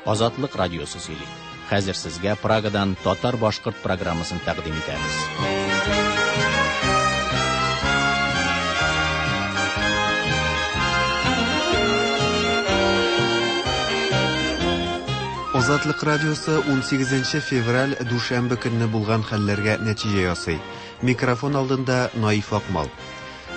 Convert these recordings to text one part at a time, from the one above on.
Азатлык радиосы сөйли. Хәзер сезгә Прагадан татар-башкорт программасын тәкъдим итәбез. Азатлык радиосы 18 февраль дүшәмбе көнне булган хәлләргә нәтиҗә ясый. Микрофон алдында Наиф Акмал.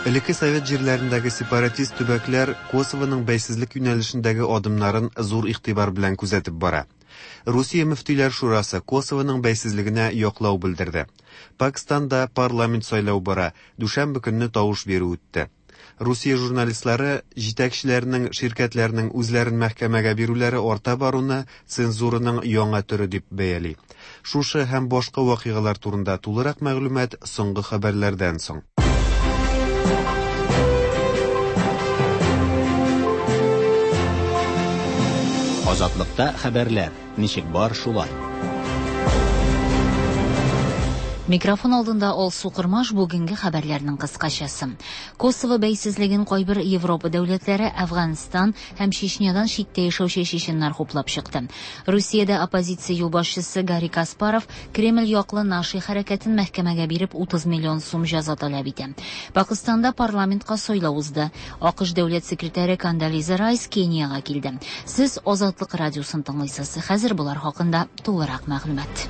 Элекке совет җирләрендәге сепаратист төбәкләр Косовоның бәйсезлек юнәлешендәге адымнарын зур игътибар белән күзәтеп бара. Русия мөфтиләр шурасы Косовоның бәйсезлегенә яклау белдерде. Пакстанда парламент сайлау бара, дүшәмбе көнне тавыш бирү үтте. Русия журналистлары җитәкчеләренең ширкәтләрнең үзләрен мәхкәмәгә бирүләре арта баруны цензураның яңа төре дип бәяли. Шушы һәм башка вакыйгалар турында тулырак мәгълүмат соңгы хәбәрләрдән соң. Азатлыкта хәбәрләр ничек бар шулай. Микрофон алдында Алсу Кырмаш бүгенге хәбәрләрнең кыскачасы. Косово бәйсезлеген кайбер Европа дәүләтләре Әфганстан һәм Чечнядан читтә яшәүче чеченнар хуплап чыкты. Русиядә оппозиция юлбашчысы Гарри Каспаров Кремль яклы Наши хәрәкәтен мәхкәмәгә биреп 30 миллион сум җәза таләп итә. Пакыстанда парламентка сайлау узды. АКШ дәүләт секретаре Кондолиза Райс Кениягә килде. Сез Азатлык радиосын тыңлыйсыз. Хәзер болар хакында тулырак мәгълүмат.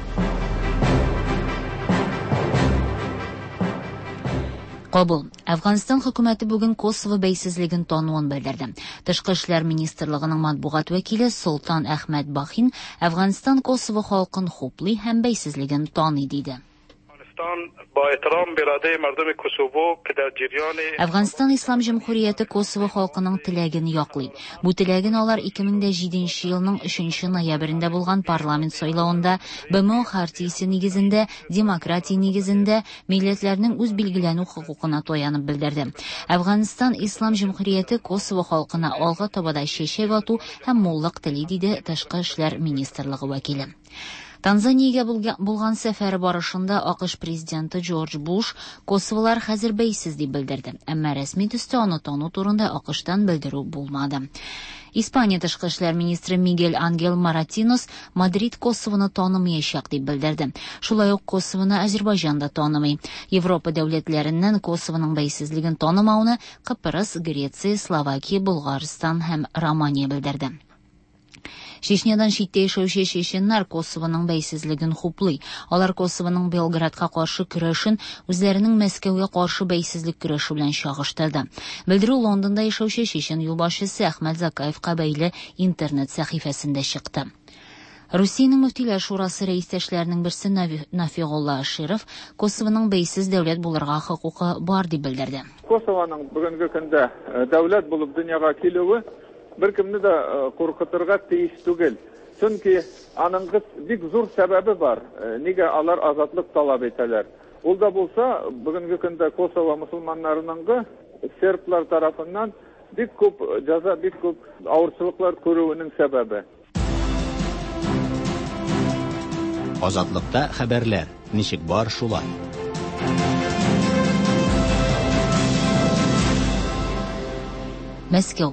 Кабул. Әфганстан хөкүмәте бүген Косово бәйсезлеген тануын белдерде. Тышкы эшләр министрлыгының матбугат вәкиле Солтан Әхмәт Бахин Әфганстан Косово халкын хуплый һәм бәйсезлеген таный диде. Әфганстан Ислам Җөмһүрияте Косово халкының теләген яклый. Бу теләген алар 2007 елның 3 ноябрендә булган парламент сайлавында БМО хартиясе нигезендә, демократия нигезендә милләтләрнең үз билгеләнү хокукына таянып белдерде. Әфганстан Ислам Җөмһүрияте Косово халкына алга таба да чәчәк ату һәм муллык тели, диде Тышкы эшләр министрлыгы вәкиле. Танзаниягә булган сәфәре барышында АКШ президенты Джордж Буш Косоволар хәзер бәйсез дип белдерде. Әмма рәсми төстә аны тану турында АКШтан белдерү булмады. Испания тышкы эшләр министры Мигель Ангел Маратинос Мадрид Косовоны танымаячак дип белдерде. Шулай ук Косовоны Азербайҗан да танымый. Европа дәүләтләреннән Косовоның бәйсезлеген танымауны Кыпрыс, Греция, Словакия, Болгарстан һәм Романия белдерде. Чечнядан читтә яшәүче чеченнар Косовоның бәйсезлеген хуплый. Алар Косовоның Белградка каршы көрәшен үзләренең Мәскәүгә каршы бәйсезлек көрәше белән чагыштырды. Белдерү Лондонда яшәүче чечен юлбашчысы Әхмәт Закаевка бәйле интернет сәхифәсендә чыкты. Русиянең мөфтиләр шурасы рәистәшләренең берсе Нафигулла Аширов Косовоның бәйсез дәүләт булырга хокукы бар дип белдерде. Косовоның бүгенге көндә дәүләт булып дөньяга килүе беркемне дә куркытырга тиеш түгел. Чөнки аның бик зур сәбәбе бар. Нигә алар азатлык таләп итәләр? Ул да булса, бүгенге көндә Косово мусулманнарының серблар тарафыннан бик күп җәза, бик күп авырчылыклар күрүенең сәбәбе. Азатлыкта хәбәрләр ничек бар шулай. Мәскәү.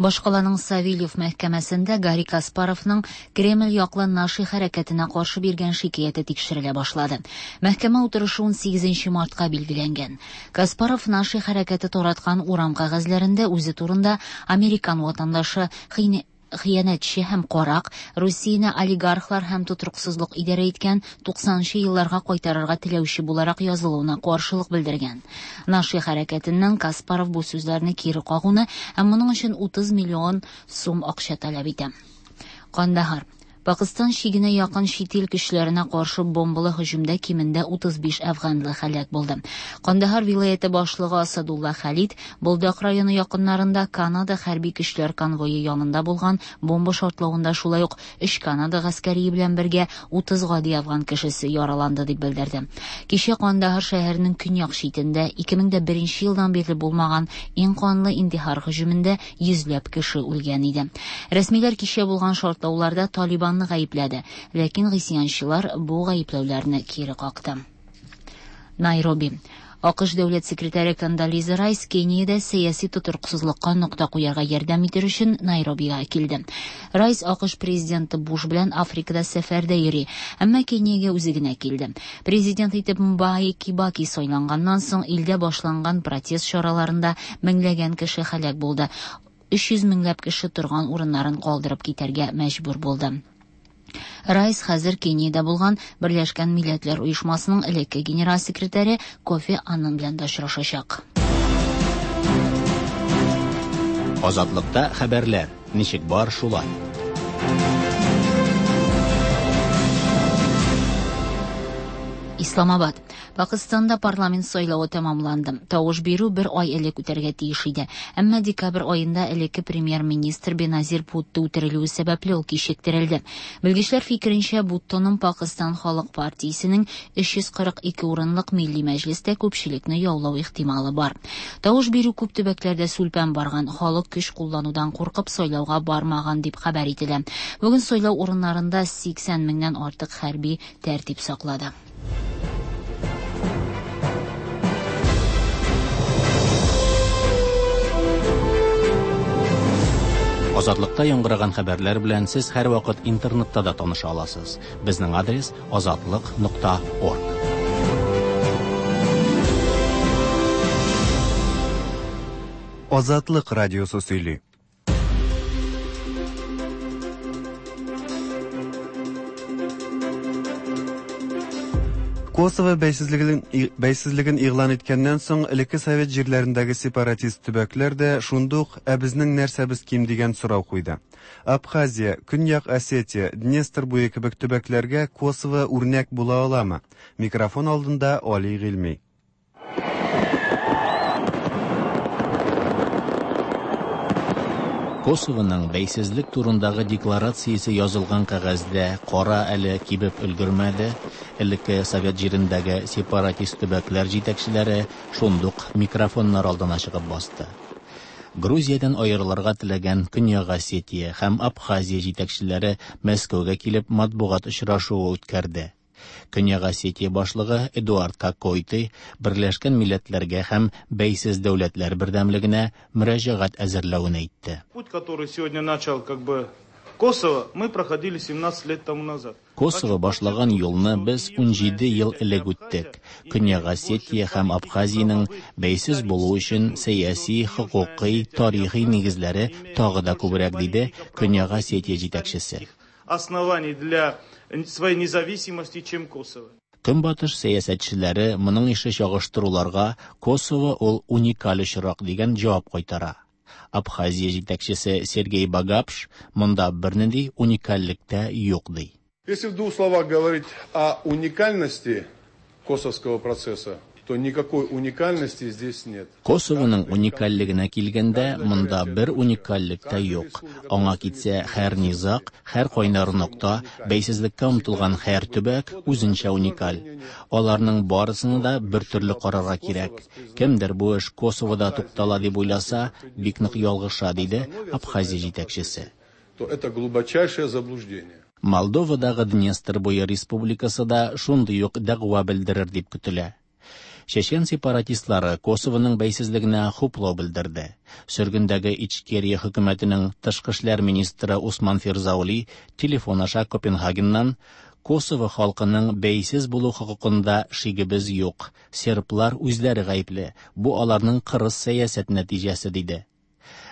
Башкаланың Савельев мәхкәмәсендә Гарри Каспаровның Кремль яклы Наши хәрәкәтенә каршы биргән шикаяте тикшерелә башлады. Мәхкәмә утырышы 18 мартка билгеләнгән. Каспаров Наши хәрәкәте тараткан урам кәгазьләрендә үзе турында американ ватандашы хыянәтче һәм карак, Русияне олигархлар һәм тотрыксызлык идарә иткән 90нчы елларга кайтарырга теләүче буларак язылуына каршылык белдергән. Наши хәрәкәтеннән Каспаров бу сүзләрне кире кагуны һәм моның өчен 30 миллион сум акча таләп итә. Кандahar. Пакыстан чигенә якын чит ил көчләренә каршы бомбалы һөҗүмдә кимендә 35 әфганлы һәлак булды. Кандahar вилаяте башлыгы Асадулла Халид Болдак районы якыннарында Канада хәрби көчләр конвое янында булган бомба шартлавында шулай ук 3 Канада гаскәрие белән бергә 30 гади афган кешесе яраланды дип белдерде. Кичә Кандahar шәһәренең көньяк читендә 2001 елдан бирле булмаган иң канлы интихар һөҗүмендә йөзләп кеше үлгән иде. Рәсмиләр кичә булган шартлауларда Талибан гаепләде, ләкин гыйсьянчылар бу гаепләүләрне кире какты. Найроби. АКШ дәүләт секретаре Кондолиза Райс Кениядә сәяси тотрыксызлыкка нокта куярга ярдәм итер өчен Найробига килде. Райс АКШ президенты Буш белән Африкада сәфәрдә йөри, әмма Кениягә үзе генә килде. Президент итеп Мбаи Кибаки сайланганнан соң илдә башланган протест чараларында меңләгән кеше һәлак булды. 300 меңләп кеше торган урыннарын калдырып китәргә мәҗбүр булды. Райс хәзер Кениядә булган Берләшкән Милләтләр Оешмасының элекке генераль секретаре Кофи Аннан белән дә очрашачак. Азатлыкта хәбәрләр ничек бар шулай. Исламабад. Пакыстанда парламент сайлавы тәмамланды. Тавыш бирү бер ай элек үтәргә тиеш иде. Әмма декабрь аенда элекке премьер-министр Беназир Бутто үтерелүе сәбәпле ул кичектерелде. Белгечләр фикеренчә, Буттоның Пакыстан халык партиясенең 342 урынлык милли мәҗлестә күпчелекне яулау ихтималы бар. Тавыш бирү күп төбәкләрдә сүлпән барган, халык көч кулланудан куркып сайлауга бармаган дип хәбәр ителә. Бүген сайлау урыннарында 80 меңнән артык хәрби тәртип саклады. Азатлыкта яңгыраган хәбәрләр белән сез һәрвакыт интернетта да таныша аласыз. Безнең адрес azatliq.org. Азатлык радиосы сөйли. Косово бәйсезлеген игълан иткәннән соң, элекке совет җирләрендәге сепаратист төбәкләр дә шундук «Ә безнең нәрсәбез ким?» дигән сорау куйды. Абхазия, Көньяк Осетия, Днестр буе кебек төбәкләргә Косово үрнәк була аламы? Микрофон алдында Али Гыйльми. Косовоның бәйсезлек турындагы декларациясе язылган кәгазьдә кара әле кибеп өлгермәде. Элекке совет җирендәге сепаратист төбәкләр җитәкчеләре шундук микрофоннар алдына чыгып басты. Грузиядән аерылырга теләгән Көньяк Осетия һәм Абхазия җитәкчеләре Мәскәүгә килеп матбугат очрашуы үткәрде. Көньяк Осетия башлыгы Эдуард Кокойты Берләшкән Милләтләргә һәм Бәйсез дәүләтләр бердәмлегенә мөрәҗәгать әзерләвен әйтте. Путь, который сегодня начал как бы Косово, мы проходили 17 лет тому назад. Косово башлаган юлны без 17 ел элек үттек. Көньяк Осетия һәм Абхазиянең бәйсез булу өчен сәяси, хокукый, тарихи нигезләре тагы да күбрәк, диде Көньяк Осетия җитәкчесе. Оснований для своей независимости, чем Косово. Көнбатыш сәясәтчеләре моның ише чагыштыруларга Косово ул уникаль очрак дигән җавап кайтара. Абхазия җитәкчесе Сергей Багапш монда бернинди уникальлек тә юк ди. Если в двух словах говорить о уникальности косовского процесса, то никакой уникальности здесь нет. Косовоның уникальлегенә килгәндә, монда бер уникальлек тә юк. Аңа китсә, һәр низаг, һәр кайнар нокта, бәйсезлеккә омтылган һәр төбәк үзенчә уникаль. Аларның барысына да бер төрле карарга кирәк. Кемдер бу эш Косовода туктала дип уйласа, бик нык ялгыша, диде Абхазия җитәкчесе. То это глубочайшее заблуждение. Молдовадагы Днестр буе республикасы да шундый ук дәгъва белдерер дип көтелә. Чечен сепаратистлары Косовоның бәйсезлегенә хуплау белдерде. Сөргендәге Ичкерия хөкүмәтенең тышкы эшләр министры Усман Фирзаули телефон аша Копенгагеннан Косово халкының бәйсез булу хокукында шигебез юк. Серблар үзләре гаепле. Бу аларның кырыс сәясәт нәтиҗәсе, диде.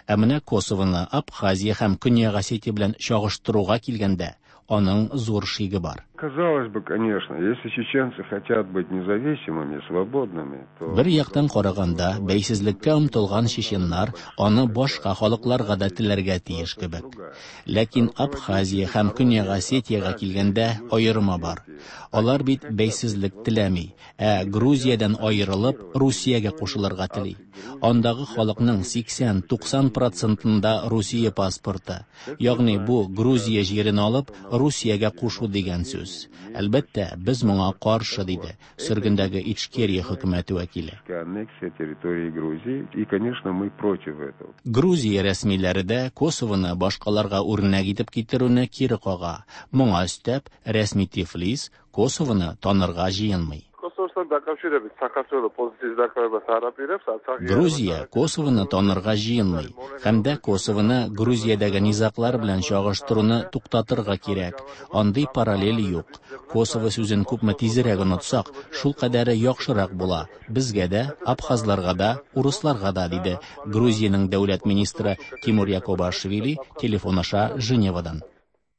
Ә менә Косовоны Абхазия һәм Көньяк Осетия белән чагыштыруга килгәндә, аның зур шиге бар. Казалось бы, конечно, если чеченцы хотят быть независимыми, свободными, то... Бер яктан караганда, бәйсезлеккә омтылган чеченнар аны башка халыкларга да теләргә тиеш кебек. Ләкин Абхазия һәм Көньяк Осетиягә килгәндә аерма бар. Алар бит бәйсезлек теләми, ә Грузиядән аерылып, Русиягә кушылырга тели. Андагы халыкның 80-90 процентында Русия паспорты. Ягъни бу Грузия җирен алып, Русиягә кушу дигән сүз. Әлбәттә, без моңа каршы, диде сөргендәге Ичкерия хөкүмәте вәкиле. Аннексия территории Грузии, и, конечно, мы против этого. Грузия рәсмиләре дә Косовоны башкаларга үрнәк итеп китерүне кире кага. Моңа өстәп, рәсми Тифлис Косовоны танырга җыенмый. Косово დაკავშირებით საქართველო პოზიციის დაკავებას არ აპირებს, არც აღიარებას. Грузия Косовоны танырга җыенмый һәм дә Косовоны Грузиядәге низаглар белән чагыштыруны туктатырга кирәк. Андый параллель юк. Косово сүзен күпме тизрәк онытсак, шул кадәре яхшырак була. Безгә дә, абхазларга да, урысларга да, диде Грузиянең дәүләт министры Тимур Якобашвили телефон аша Женевадан.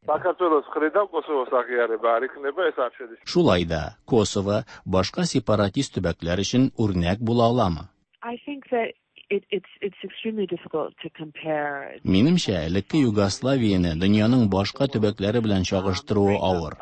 საქართველოს მხრიდან Косовос აღიარება არ იქნება, ეს არ შედის. Шулай да Косово башка сепаратист төбәкләр өчен үрнәк була аламы? I think that it, it's it's extremely difficult to compare. Минемчә, элекке Югославияне дөньяның башка төбәкләре белән чагыштыруы авыр.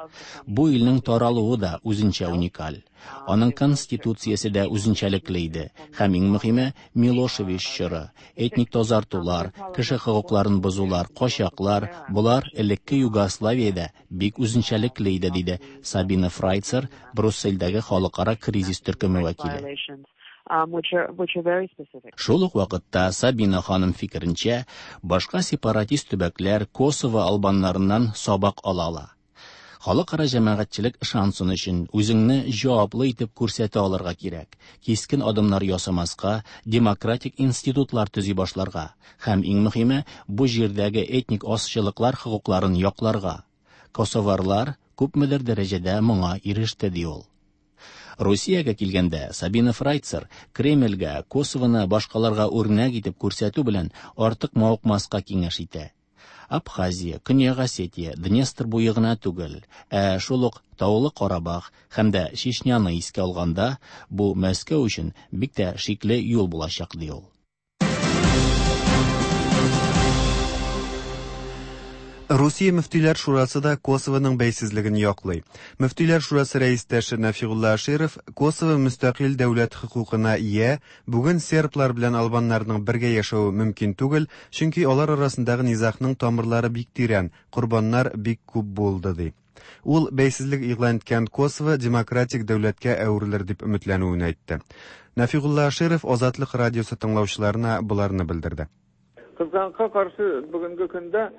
Бу илнең таралуы да үзенчә уникаль. Аның конституциясе дә үзенчәлекле иде. Һәм иң мөһиме, Милошевич чоры, этник тазартулар, кеше хокукларын бозулар, качаклар, болар элекке Югославиядә бик үзенчәлекле иде, диде Сабина Фрайцер, Бруссельдәге халыкара кризис төркеме вәкиле. Violations, which are which are very specific. Шул ук вакытта Сабина ханым фикеренчә, башка сепаратист төбәкләр Косово албаннарыннан сабак ала ала. Халыкара җәмәгатьчелек ышансын өчен үзеңне җаваплы итеп күрсәтә алырга кирәк. Кискен адымнар ясамаска, демократик институтлар төзи башларга һәм иң мөһиме, бу җирдәге этник азчылыклар хокукларын якларга. Косоварлар күпмедер дәрәҗәдә моңа иреште, ди ул. Русиягә килгәндә, Сабина Фрайцер Кремльгә Косовоны башкаларга үрнәк итеп күрсәтү белән артык мавыкмаска киңәш итә. Абхазия, Көньяк Осетия, Днестр буе гына түгел, ә шул ук Таулы Карабах һәм дә Чечняны искә алганда, бу Мәскәү өчен бик тә шикле юл булачак, ди ул. Русия мөфтиләр шурасы да Косовоның бәйсезлеген яклый. Мөфтиләр шурасы рәистәше Нәфигулла Аширов Косово мөстәкыйль дәүләт хокукына ия, бүген серблар белән албаннарның бергә яшәве мөмкин түгел, чөнки алар арасындагы низагның тамырлары бик тирән, корбаннар бик күп булды, ди. Ул бәйсезлек игълан иткән Косово демократик дәүләткә әверелер дип өметләнүен әйтте. Нәфигулла Аширов Азатлык радиосы тыңлаучыларына боларны белдерде. Кызганычка каршы, бүгенге көндә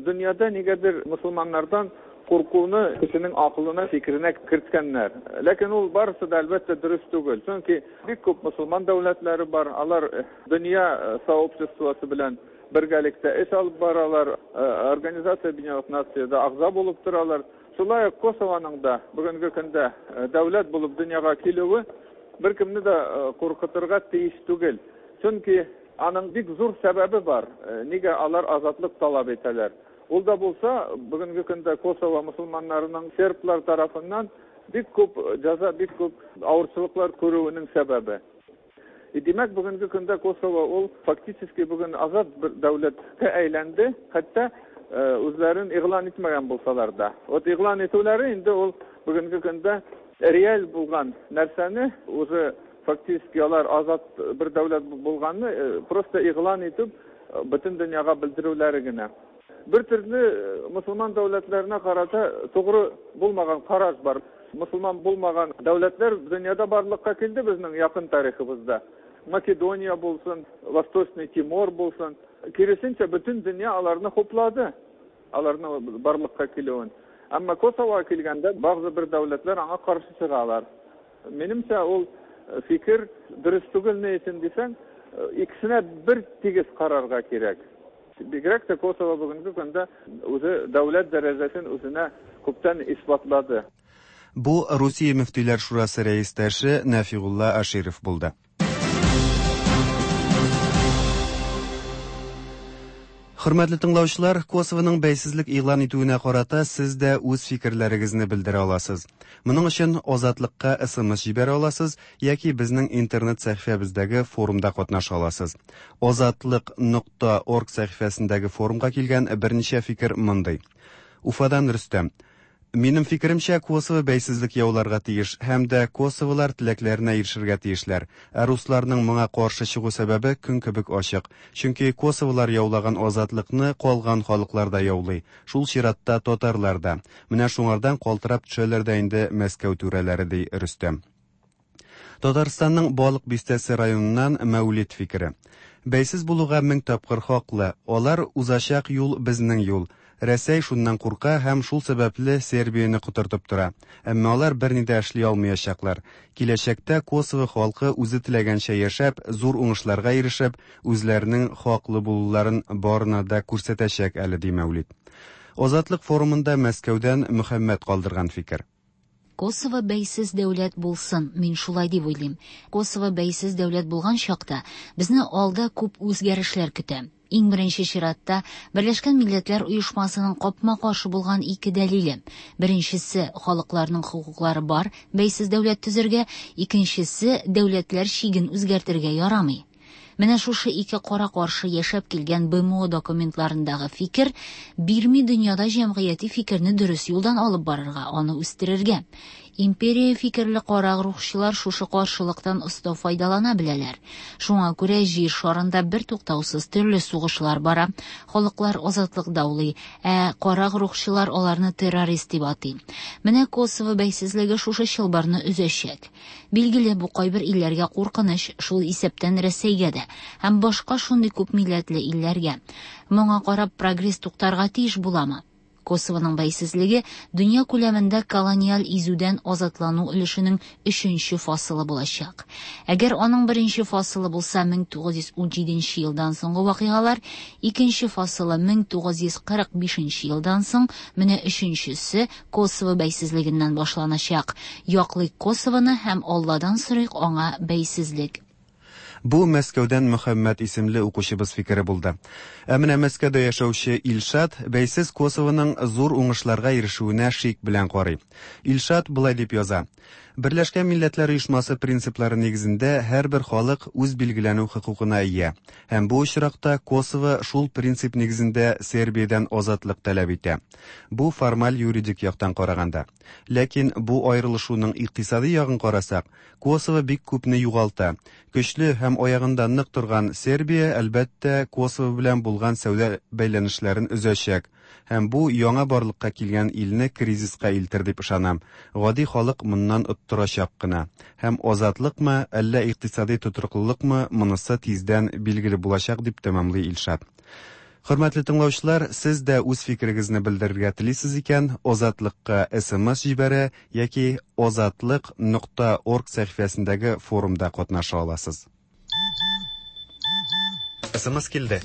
дөньяда нигәдер мөселманнардан куркуны кешенең акылына, фикеренә керткәннәр. Ләкин ул барысы да, әлбәттә, дөрес түгел. Чөнки бик күп мөселман дәүләтләре бар, алар дөнья сообществосы белән бергәлектә эш алып баралар, Организация Объединенных Нациядә әгъза булып торалар. Шулай ук Косованың да бүгенге көндә дәүләт булып дөньяга килүе беркемне дә куркытырга тиеш түгел. Чөнки аның бик зур сәбәбе бар, нигә алар азатлык таләп итәләр. Ул да булса, бүгенге көндә Косово мөселманнарының серблар тарафыннан бик күп җәза, бик күп авырчылыклар күрүенең сәбәбе. И димәк, бүгенге көндә Косово ул фактически бүген азат бер дәүләткә әйләнде, хәтта үзләрен игълан итмәгән булсалар да. Вот игълан итүләре инде ул бүгенге көндә реаль булган нәрсәне уже фактически алар азат бер дәүләт булганны просто игълан итеп бөтен дөньяга белдерүләре генә. Бер төрле мөселман дәүләтләренә карата тугры булмаган караш бар. Мөселман булмаган дәүләтләр дөньяда барлыкка килде безнең якын тарихыбызда. Македония булсын, Восточный Тимор булсын. Киресенчә, бөтен дөнья аларны хуплады, аларны барлыкка килүен. Әмма Косовога килгәндә, бәгъзе бер дәүләтләр аңа каршы чыгалар. Минемчә, ул фикер дөрес түгел, ни өчен дисәң, икесенә бер тигез карарга кирәк. Бигрәк тә Косово бүгенге көндә үзе дәүләт дәрәҗәсен үзенә күптән исбатлады. Бу Русия мөфтиләр шурасы рәистәше Нәфигулла Аширов булды. Хөрмәтле тыңлаучылар, Косовоның бәйсезлек игълан итүенә карата сез дә үз фикерләрегезне белдерә аласыз. Моның өчен Азатлыкка СМС җибәрә аласыз яки безнең интернет сәхифәбездәге форумда катнаша аласыз. Азатлык.орг сәхифәсендәге форумга килгән берничә фикер мондый. Уфадан Рөстәм. Минем фикеремчә, Косово бәйсезлек яуларга тиеш һәм дә косоволар теләкләренә ирешергә тиешләр. Ә русларның моңа каршы чыгу сәбәбе көн кебек ачык. Чөнки косоволар яулаган азатлыкны калган халыклар да яулый. Шул чиратта татарлар да. Менә шуңардан калтырап төшәләр дә инде Мәскәү түрәләре, ди Рөстәм. Татарстанның Балык Бистәсе районыннан Мәүлид фикере. Бәйсез булуга мең тапкыр хаклы. Алар узачак юл безнең юл. Рәсәй шуннан курка һәм шул сәбәпле Сербияне котыртып тора. Әмма алар берни дә эшли алмыячаклар. Киләчәктә Косово халкы үзе теләгәнчә яшәп, зур уңышларга ирешеп, үзләренең хаклы булуларын барына да күрсәтәчәк әле, ди Мәүлид. Азатлык форумында Мәскәүдән Мөхәммәт калдырган фикер. Косово бәйсез дәүләт булсын, мин шулай дип уйлыйм. Косово бәйсез дәүләт булган чакта, безне алда күп үзгәрешләр көтә. Иң беренче чиратта, Берләшкән Милләтләр Оешмасының капма-каршы булган ике дәлиле. Беренчесе, халыкларның хокуклары бар бәйсез дәүләт төзергә, икенчесе, дәүләтләр чиген үзгәртергә ярамый. Менә шушы ике кара-каршы яшәп килгән БМО документларындагы фикер бирми дөньяда җәмгыяти фикерне дөрес юлдан алып барырга, аны үстерергә. Империя фикерле карагруһчылар шушы каршылыктан оста файдалана беләләр. Шуңа күрә җир шарында бертуктаусыз төрле сугышлар бара, халыклар азатлык даулый, ә карагруһчылар аларны террорист дип атый. Менә Косово бәйсезлеге шушы чылбырны өзәчәк. Билгеле, бу кайбер илләргә куркыныч, шул исәптән Рәсәйгә дә һәм башка шундый күп милләтле илләргә. Моңа карап прогресс туктарга тиеш буламы? Косовоның бәйсезлеге дөнья күләмендә колониаль изүдән азатлану өлешенең өченче фасылы булачак. Әгәр аның беренче фасылы булса 1917 елдан соңгы вакыйгалар, икенче фасылы 1945 елдан соң, менә өченчесе Косово бәйсезлегеннән башланачак. Яклыйк Косовоны һәм Алладан сорыйк аңа бәйсезлек. Бу Мәскәүдән Мөхәммәт исемле укучыбыз фикере булды. Ә менә Мәскәүдә яшәүче Илшат бәйсез Косовоның зур уңышларга ирешүенә шик белән карый. Илшат болай дип яза: Берләшкән Милләтләр Оешмасы принциплары нигезендә һәрбер халык үз билгеләнү хокукына ия. Һәм бу очракта Косово шул принцип нигезендә Сербиядән азатлык таләп итә. Бу формаль юридик яктан караганда. Ләкин бу аерылышуның икътисади ягын карасак, Косово бик күпне югалта. Көчле һәм аягында нык торган Сербия, әлбәттә, Косово белән булган сәүдә бәйләнешләрен өзәчәк. Һәм бу яңа барлыкка килгән илне кризиска илтер дип ышанам. Гади халык моннан оттырачак кына. Һәм азатлыкмы, әллә икътисади тотрыклылыкмы, монысы тиздән билгеле булачак, дип тәмамлый Илшат. Хөрмәтле тыңлаучылар, сез дә үз фикерегезне белдерергә телисез икән, Азатлыкка SMS җибәрә яки azatliq.org сәхифәсендәге форумда катнаша аласыз. SMS килде.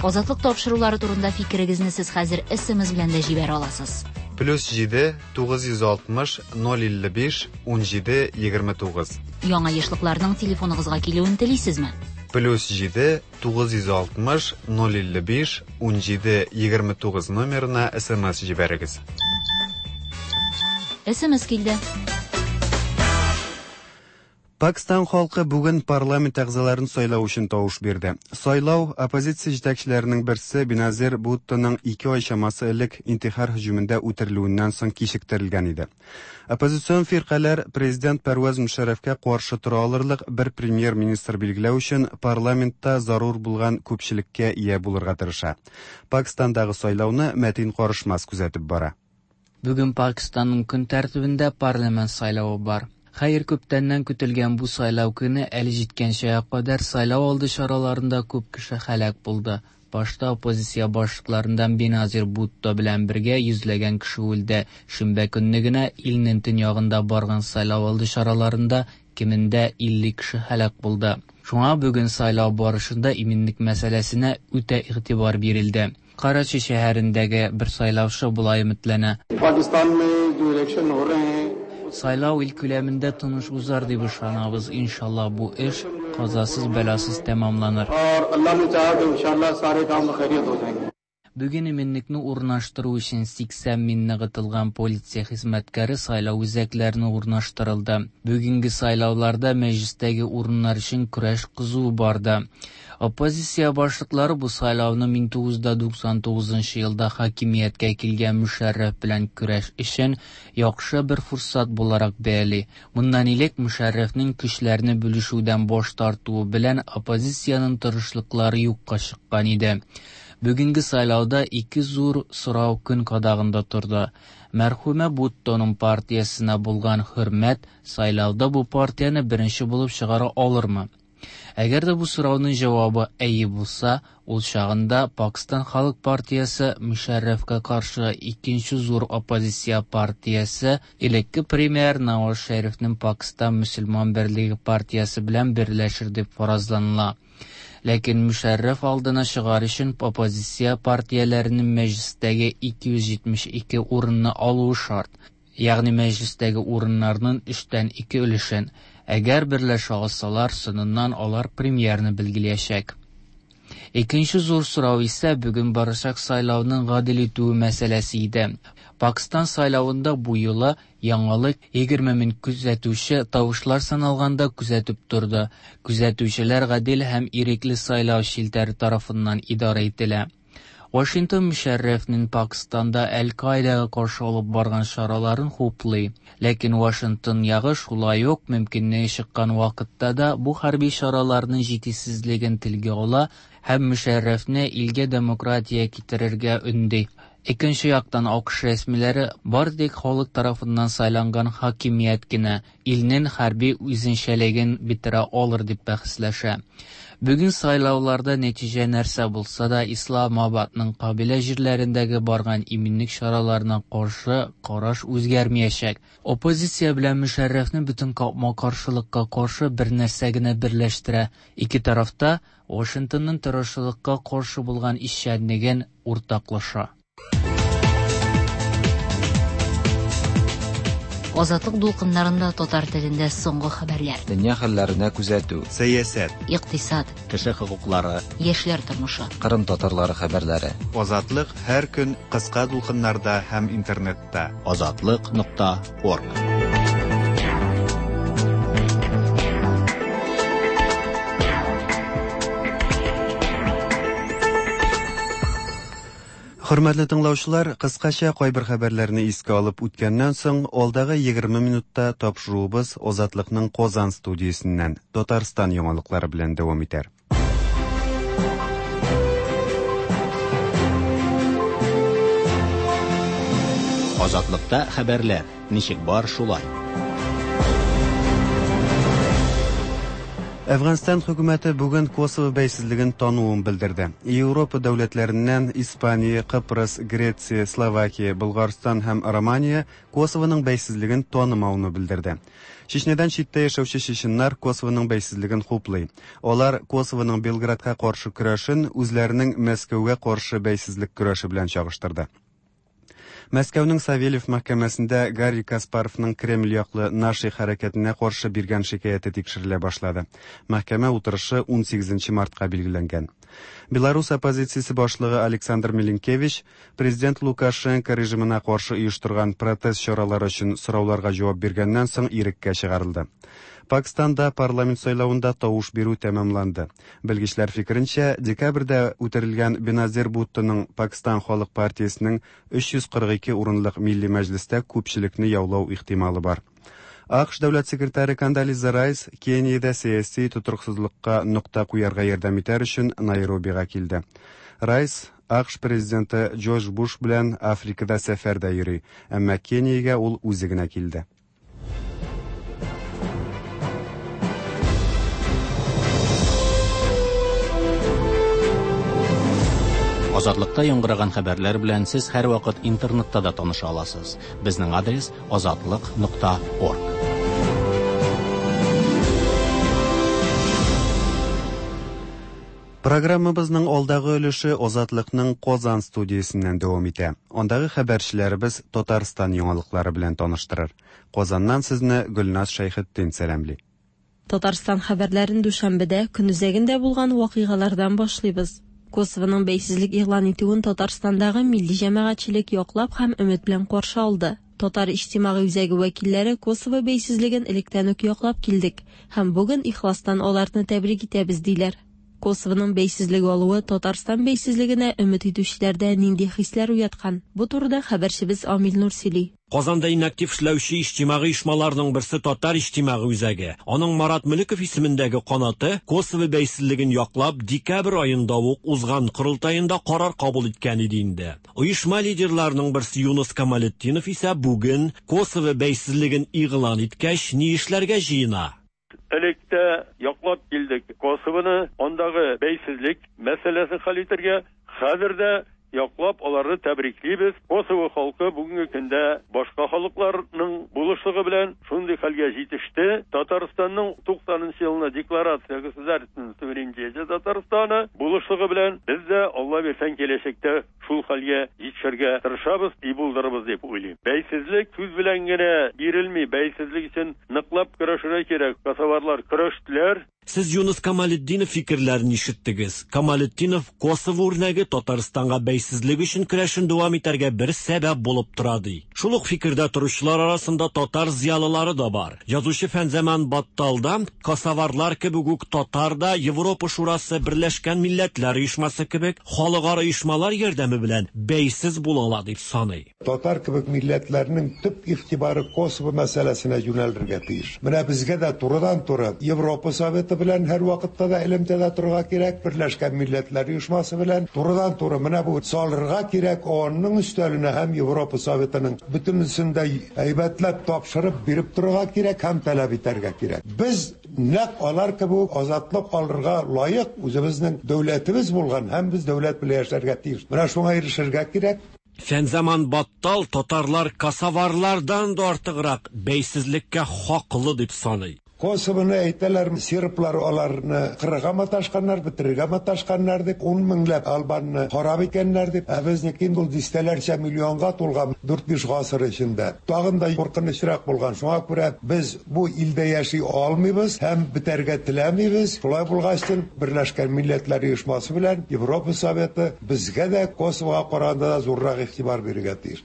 Азатлык тапшырулары турында фикерегезне сез хәзер SMS белән дә җибәрә аласыз. Плюс 7 960 055 17 29. Яңа ешлыкларның телефоныгызга килүен телисезме? Плюс 7 960 055 17 29 номерына SMS җибәрегез. SMS килде. Пакстан халкы бүген парламент әгъзаларын сайлау өчен тавыш бирде. Сайлау оппозиция җитәкчеләренең берсе Беназир Буттоның 2 ай чамасы элек интихар һөҗүмендә үтерелүеннән соң кичектерелгән иде. Оппозицион фиркаләр президент Пәрвәз Мөшәррәфкә каршы тора алырлык бер премьер-министр билгеләү өчен парламентта зарур булган күпчелеккә ия булырга тырыша. Пакстандагы сайлауны Мәтин Карышмас күзәтеп бара. Бүген Пакистанның көн тәртибендә парламент сайлавы бар. Хәер, күптәннән көтелгән бу сайлау көне әле җиткәнчегә кадәр сайлау алды чараларында күп кеше һәлак булды. Башта оппозиция башлыкларыннан Беназир Бутто белән бергә йөзләгән кеше үлде. Шимбә көнне генә илнең төньягында барган сайлау алды чараларында кимендә 50 кеше һәлак булды. Шуңа бүген сайлау барышында иминлек мәсьәләсенә үтә игътибар бирелде. Карачи шәһәрендәге бер сайлаучы болай өметләнә. Сайлау ил күләмендә тыныч узар дип ышанабыз. Иншалла бу эш казасыз бәласыз тәмамланыр. Бүген иминлекне урнаштыру өчен 80 мең ныгытылган полиция хезмәткәре сайлау үзәкләренә урнаштырылды. Бүгенге сайлауларда мәҗлестәге урыннар өчен көрәш кызу барды. Оппозиция башлыклары бу сайлауны 1999 елда хакимияткә килгән Мөшәррәф белән көрәш өчен яхшы бер форсат буларак бәяли. Моннан элек Мөшәррәфнең көчләрне бүлешүдән баш тартуы белән оппозициянең тырышлыклары юкка чыккан иде. Бүгенге сайлауда ике зур сорау көн кадагында торды. Мәрхүмә Буттоның партиясенә булган хөрмәт сайлауда бу партияне беренче булып чыгара алырмы? Әгәр дә бу сорауның җавабы әйе булса, ул чагында Пакстан халык партиясе Мөшәррәфкә каршы икенче зур оппозиция партиясе элекке премьер Наваз Шәрифнең Пакстан мөселман берлеге партиясе белән берләшер дип фаразланыла. Ләкин Мөшәррәф алдына чыгар өчен оппозиция партияләренең мәҗлестәге 272 урынны алуы шарт. Ягъни мәҗлестәге урыннарның өчтән ике өлешен. Әгәр берләшә алсалар, соңыннан алар премьерны билгеләячәк. Икенче зур сорау исә бүген барачак сайлауның гадел үтүе мәсьәләсе иде. Пакстан сайлавында бу юлы яңалык 20 мең күзәтүче тавышлар саналганда күзәтеп торды. Күзәтүчеләр гадел һәм ирекле сайлау челтәре тарафыннан идарә ителә. Вашингтон Мөшәррәфнең Пакстанда Әл-Каидага каршы алып барган чараларын хуплый. Ләкин Вашингтон ягы шулай ук мөмкинлеге чыккан вакытта да бу хәрби чараларның җитешсезлеген телгә ала һәм Мөшәррәфне илгә демократия китерергә өнди. Икенче яктан АКШ рәсмиләре бары тик халык тарафыннан сайланган хакимият кенә илнең хәрби үзенчәлеген бетерә алыр дип бәхәсләшә. Бүген сайлауларда нәтиҗә нәрсә булса да, Исламабадның кабилә җирләрендәге барган иминлек чараларына каршы караш үзгәрмәячәк. Оппозиция белән Мөшәррәфне бөтен капма-каршылыкка каршы бер нәрсә генә берләштерә. Ике тарафта Вашингтонның террорчылыкка каршы булган эшчәнлеген уртаклаша. Азатлык дулкыннарында татар телендә соңгы хәбәрләр. Дөнья хәлләренә күзәтү. Сәясәт. Икътисад. Кеше хокуклары. Яшьләр тормышы. Кырым татарлары хәбәрләре. Азатлык һәр көн кыска дулкыннарда һәм интернетта. Азатлык.орг. Хөрмәтле тыңлаучылар, кыскача кайбер хәбәрләрне искә алып үткәннән соң, алдагы 20 минутта тапшыруыбыз Азатлыкның Казан студиясеннән Татарстан яңалыклары белән дәвам итәр. Азатлыкта хәбәрләр ничек бар шулай. Әфганстан хөкүмәте бүген Косово бәйсезлеген тануын белдерде. Европа дәүләтләреннән Испания, Кыпрыс, Греция, Словакия, Болгарстан һәм Романия Косовоның бәйсезлеген танымауны белдерде. Чечнядан читтә яшәүче чеченнар Косовоның бәйсезлеген хуплый. Алар Косовоның Белградка каршы көрәшен үзләренең Мәскәүгә каршы бәйсезлек көрәше белән чагыштырды. Мәскәүнең Савельев мәхкәмәсендә Гарри Каспаровның Кремль яклы Наши хәрәкәтенә каршы биргән шикаяте тикшерелә башлады. Мәхкәмә утырышы 18 мартка билгеләнгән. Беларус оппозициясе башлыгы Александр Милинкевич президент Лукашенко режимына каршы оештырган протест чаралары өчен сорауларга җавап биргәннән соң иреккә чыгарылды. Пакистанда парламент сайлавында тавыш бирү тәмамланды. Белгечләр фикеренчә, декабрьдә үтерелгән Беназир Буттоның Пакистан халык партиясенең 342 урынлык милли мәҗлестә күпчелекне яулау ихтималы бар. АКШ дәүләт секретаре Кондолиза Райс Кениядә сәяси тотрыксызлыкка нокта куярга ярдәм итәр өчен Найробига килде. Райс АКШ президенты Джордж Буш белән Африкада сәфәрдә йөри, әмма Кениягә ул үзе генә килде. Азатлыкта яңгыраган хәбәрләр белән сез һәрвакыт интернетта да таныша аласыз. Безнең адрес азатлык.орг. Программабызның алдагы өлеше Азатлыкның Казан студиясеннән дәвам итә. Андагы хәбәрчеләребез Татарстан яңалыклары белән таныштырыр. Казаннан сезне Гөлназ Шәйхетдин сәламли. Татарстан хәбәрләрен дүшәмбедә көнүзәгендә булган вакыйгалардан башлыйбыз. Косовоның бәйсезлек игълан итүен Татарстандагы милли җәмәгатьчелек яклап һәм өмет белән каршы алды. Татар иҗтимагый үзәге вәкилләре Косово бәйсезлеген электән үк яклап килдек һәм бүген ихластан аларны тәбрик итәбез диләр. Косовоның бәйсезлеге алуы Татарстан бәйсезлегенә өмет итүчеләрдә нинди хисләр уяткан? Бу турыда хәбәрчебез Амил Нур сөйли. Казанда иң актив эшләүче иҗтимагый оешмаларның берсе Татар иҗтимагый үзәге. Аның Марат Мөлеков исемендәге канаты Косово бәйсезлеген яклап декабрь аенда ук узган корылтаенда карар кабул иткән иде инде. Оешма лидерларының берсе Юныс Камалетдинов исә бүген Косово бәйсезлеген игълан иткәч ни эшләргә җыена? Элек тә яклап килдек Косовоны, андагы бәйсезлек мәсьәләсен хәл итәргә. Хәзер дә яклап аларны тәбриклибез. Косово халкы бүгенге көндә башка халыкларның булышлыгы белән шундый хәлгә җитеште. Татарстанның 90 нчы елны декларация государственного суверенитета Татарстана булышлыгы белән без дә, Алла бирсәң, киләчәктә шул хәлгә җитешергә тырышабыз и булдырырбыз дип уйлыйм. Бәйсезлек сүз белән генә бирелми, бәйсезлек өчен ныклап көрәшергә кирәк. Косоварлар көрәштеләр. Сез Юныс Камалетдинов фикерләрен ишеттегез. Камалетдинов Косово үрнәге Татарстанга бәйсезлек өчен көрәшен дәвам итәргә бер сәбәп булып тора ди. Шул ук фикердә торучылар арасында татар зыялылары да бар. Язучы Фәнзаман Баттал да, косоварлар кебек үк татар да Европа Шурасы, Берләшкән Милләтләр Оешмасы кебек халыкара оешмалар ярдәме белән бәйсез була ала дип саный. Татар кебек милләтләрнең төп игътибары Косово мәсьәләсенә юнәлергә тиеш. Менә безгә дә турыдан-туры Европа Советы белән һәрвакытта да элемтәдә торырга кирәк, Берләшкән Милләтләр Оешмасы белән турыдан-туры менә бу салырга кирәк ООНның өстәленә һәм Европа Советының бөтенесен дә әйбәтләп тапшырып биреп торырга кирәк һәм таләп итәргә кирәк. Без нәкъ алар кебек үк азатлык алырга лаек, үзебезнең дәүләтебез булган һәм без дәүләт белән яшәргә тиеш. Менә шуңа ирешергә кирәк. Фәнзаман Баттал татарлар косоварлардан да артыграк бәйсезлеккә хаклы дип саный. Косовоны әйтәләр, серблар аларны кырырга маташканнар, бетерергә маташканнар дип, ун меңләп албанны харап иткәннәр дип, ә безнеке инде ул дистәләрчә миллионга тулган дүрт-биш гасыр эчендә. Тагын да куркынычрак булган. Шуңа күрә без бу илдә яши алмыйбыз һәм бетәргә теләмибез. Шулай булгачтын, Берләшкән Милләтләр Оешмасы белән Европа Советы Безгә дә Косовога караганда да зуррак игътибар бирергә тиеш.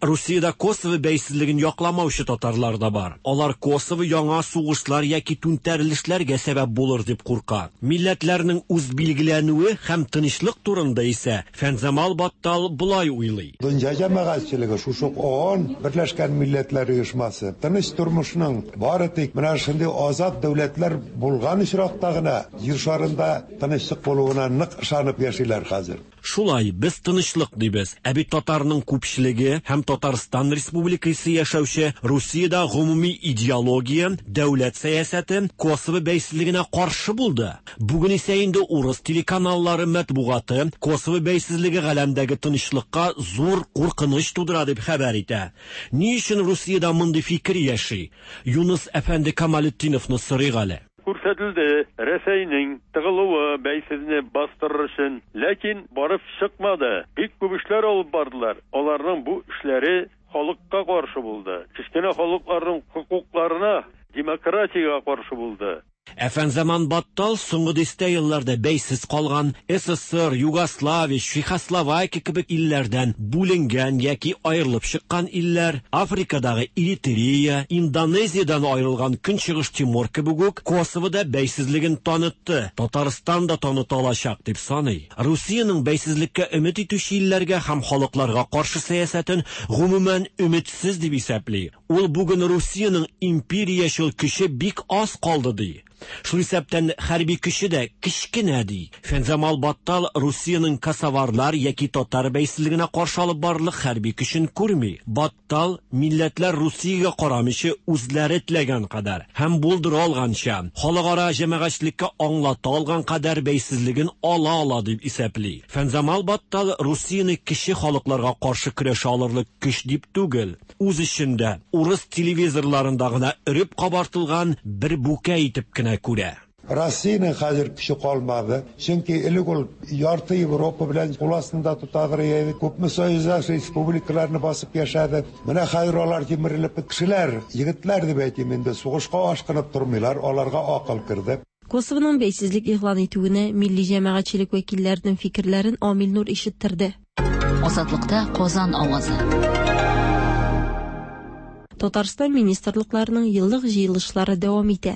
Русиядә Косово бәйсезлеген якламаучы татарлар да бар. Алар Косово яңа сугышлар яки түнтәрелешләргә сәбәп булыр дип курка. Милләтләрнең үзбилгеләнүе һәм тынычлык турында исә Фәнзамал Баттал болай уйлый. Дөнья җәмәгатьчелеге, шушы ук ООН, Берләшкән Милләтләр Оешмасы, тыныч тормышның бары тик менә шундый азат дәүләтләр булган очракта гына Җир шарында тынычлык булуына нык ышанып яшиләр хәзер. Шулай, без тынычлык дибез. Ә бит татарның күпчелеге һәм Татарстан Республикасы яшәүче Русиядә гомуми идеология, дәүләт сәясәте Косово бәйсезлегенә каршы булды. Бүген исә инде урыс телеканаллары, матбугаты Косово бәйсезлеге галәмдәге тынычлыкка зур куркыныч тудыра дип хәбәр итә. Ни өчен Русиядә мондый фикер яши? Юныс әфәнде Камалетдиновны сорыйк әле. Күрсәтелде Рәсәйнең тыгылуы бәйсезне бастырыр өчен, ләкин барып чыкмады. Бик күп эшләр алып бардылар, аларның бу эшләре халыкка каршы булды, кечкенә халыкларның хокукларына, демократиягә каршы булды. Ә Фәнзаман Баттал соңгы дистә елларда бәйсез калган СССР, Югославия, Чехословакия кебек илләрдән бүленгән яки аерылып чыккан илләр, Африкадагы Эритрея, Индонезиядән аерылган Көнчыгыш Тимор кебек үк Косово да бәйсезлеген танытты, Татарстан да таныта алачак, дип саный. Русиянең бәйсезлеккә өмет итүче илләргә һәм халыкларга каршы сәясәтен гомумән өметсез дип исәпли. Ул бүген Русиянең империячел көче бик аз калды, ди. Шул исәптән хәрби көче дә кечкенә, ди. Фәнзамал Баттал Русиянең косоварлар яки татар бәйсезлегенә каршы алып барырлык хәрби көчен күрми. Баттал, милләтләр Русиягә карамыйча үзләре теләгән кадәр һәм булдыра алганча, халыкара җәмәгатьчелеккә аңлата алган кадәр бәйсезлеген ала ала дип исәпли. Фәнзамал Баттал Русияне кече халыкларга каршы көрәшә алырлык көч дип түгел, үз эчендә, урыс телевизорларында гына өреп кабартылган бер бүкә итеп кенә күрә. Россиянең хәзер көче калмады, чөнки элек ул ярты Европа белән кул астында тотадыр иде, күпме союздаш республикаларны басып яшәде. Менә хәзер алар җимерелеп кешеләр, егетләр дип әйтим инде, сугышка ашкынып тормыйлар, аларга акыл керде. Косовоның бәйсезлек игълан итүенә милли җәмәгатьчелек вәкилләренең фикерләрен Амил Нур ишеттерде. Азатлыкта Казан авазы. Татарстан министрлыкларының еллык җыелышлары дәвам итә.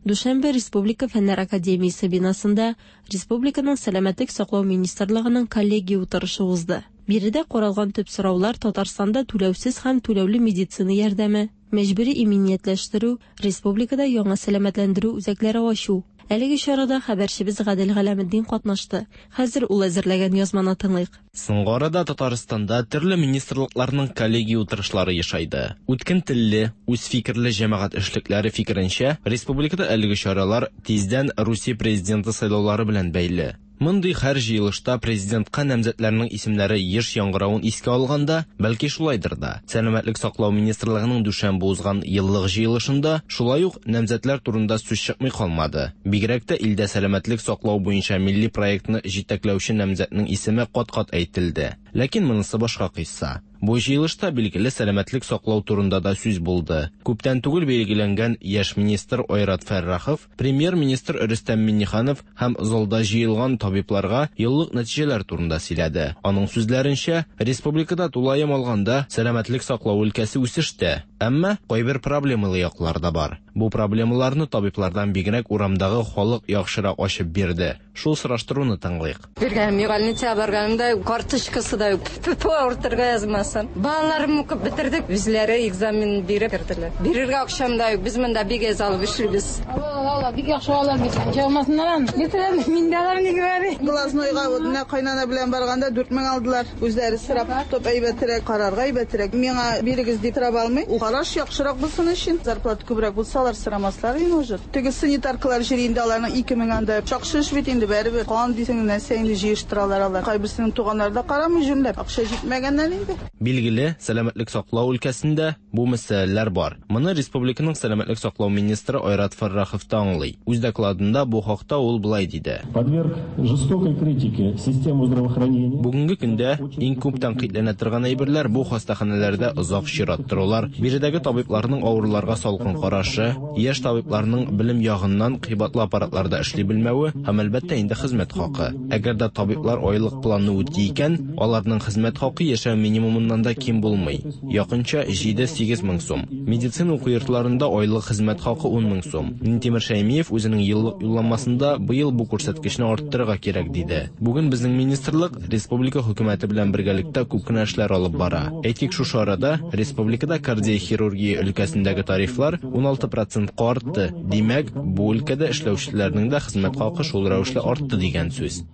Дүшәмбе Республика Фәннәр академиясе бинасында республиканың Сәламәтлек саклау министрлыгының коллегия утырышы узды. Биредә каралган төп сораулар Татарстанда түләүсез һәм түләүле медицина ярдәме, мәҗбүри иминиятләштерү, республикада яңа сәламәтләндерү үзәкләре ачу. Әлеге чарада хәбәрчебез Гадел Галәметдин катнашты. Хәзер ул әзерләгән язманы тыңлыйк. Соңгы арада Татарстанда төрле министрлыкларның коллегия утырышлары ешайды. Үткен телле, үз фикерле җәмәгать эшлекләре фикеренчә, республикада әлеге чаралар тиздән Русия президенты сайлаулары белән бәйле. Мондый һәр җыелышта президентка намзәтләрнең исемнәре еш яңгыравын искә алганда, бәлки шулайдыр да. Сәламәтлек саклау министрлыгының дүшәмбе узган еллык җыелышында шулай ук намзәтләр турында сүз чыкмый калмады. Бигрәк тә илдә сәламәтлек саклау буенча милли проектны җитәкләүче намзәтнең исеме кат-кат әйтелде. Ләкин монысы башка кыйсса. Бу җыелышта билгеле сәламәтлек саклау турында да сүз булды. Күптән түгел билгеләнгән яшь министр Айрат Фәррахов, премьер-министр Рөстәм Миңнеханов һәм залда җыелган табибларга еллык нәтиҗәләр турында сөйләде. Аның сүзләренчә, республикада тулаем алганда сәламәтлек саклау өлкәсе үсештә, әмма кайбер проблемалы яклар да бар. Бу проблемаларны табиблардан бигрәк урамдагы халык яхшырак ачып бирде. Шул сораштыруны тыңлыйк. Биргәнем юк, больницага барганымда карточкасы да юк. Тьфу, авыртырга язмасын. Балаларым укып бетердек, үзләре экзамен биреп керделәр. Бирергә акчам да юк, без монда бик әз алып эшлибез. Ала, ала, бик яхшы алалар бит. Ничә алмасыннар аны. Бетерәм, мин дә алам, не говори. Глазнойга вот менә кайнана белән барганда 4000 алдылар. Үзләре сорап тотып әйбәтрәк, карарга әйбәтрәк. Миңа бирегез дип сорап алмый. Ул караш яхшырак булсын өчен, зарплата күбрәк булса, алар сорамаслар инде может. Теге санитаркалар җыри инде аларның 2000 анда. Шакшы эш бит инде барыбер. Кан дисең, нәрсә инде җыештыралар алар. Кайберсенең туганнары да карамый җүнләп. Акча җитмәгәннән инде. Билгеле, сәламәтлек саклау өлкәсендә бу мәсьәләләр бар. Моны республиканың сәламәтлек саклау министры Айрат Фәррахов та аңлый. Үз докладында бу хакта ул болай диде. Подверг жестокой критике систему здравоохранения. Бүгенге көндә иң күп тәнкыйтьләнә торган әйберләр бу хастаханәләрдә озак чират торулар, биредәге табибларның авыруларга салкын карашы, яшь табибларның белем ягыннан кыйбатлы аппаратларда эшли белмәве һәм әлбәттә инде хезмәт хакы. Әгәр дә табиблар айлык планны үти икән, аларның хезмәт хакы яшәү минимумыннан да ким булмый. Якынча 7-8 мең сум. Медицина уку йортларында айлык хезмәт хакы 10 мең сум. Минтимер Шәймиев үзенең еллык юлламасында быел бу күрсәткечне арттырырга кирәк диде. Бүген безнең министрлык республика хөкүмәте белән бергәлектә күп кенә эшләр алып бара. Әйтик, шушы арада республикада кардиохирургия өлкәсендәге тарифлар 16%-ка артты. Димәк, бу өлкәдә эшләүчеләрнең дә хезмәт хакы шул рәвешле артты дигән сүз.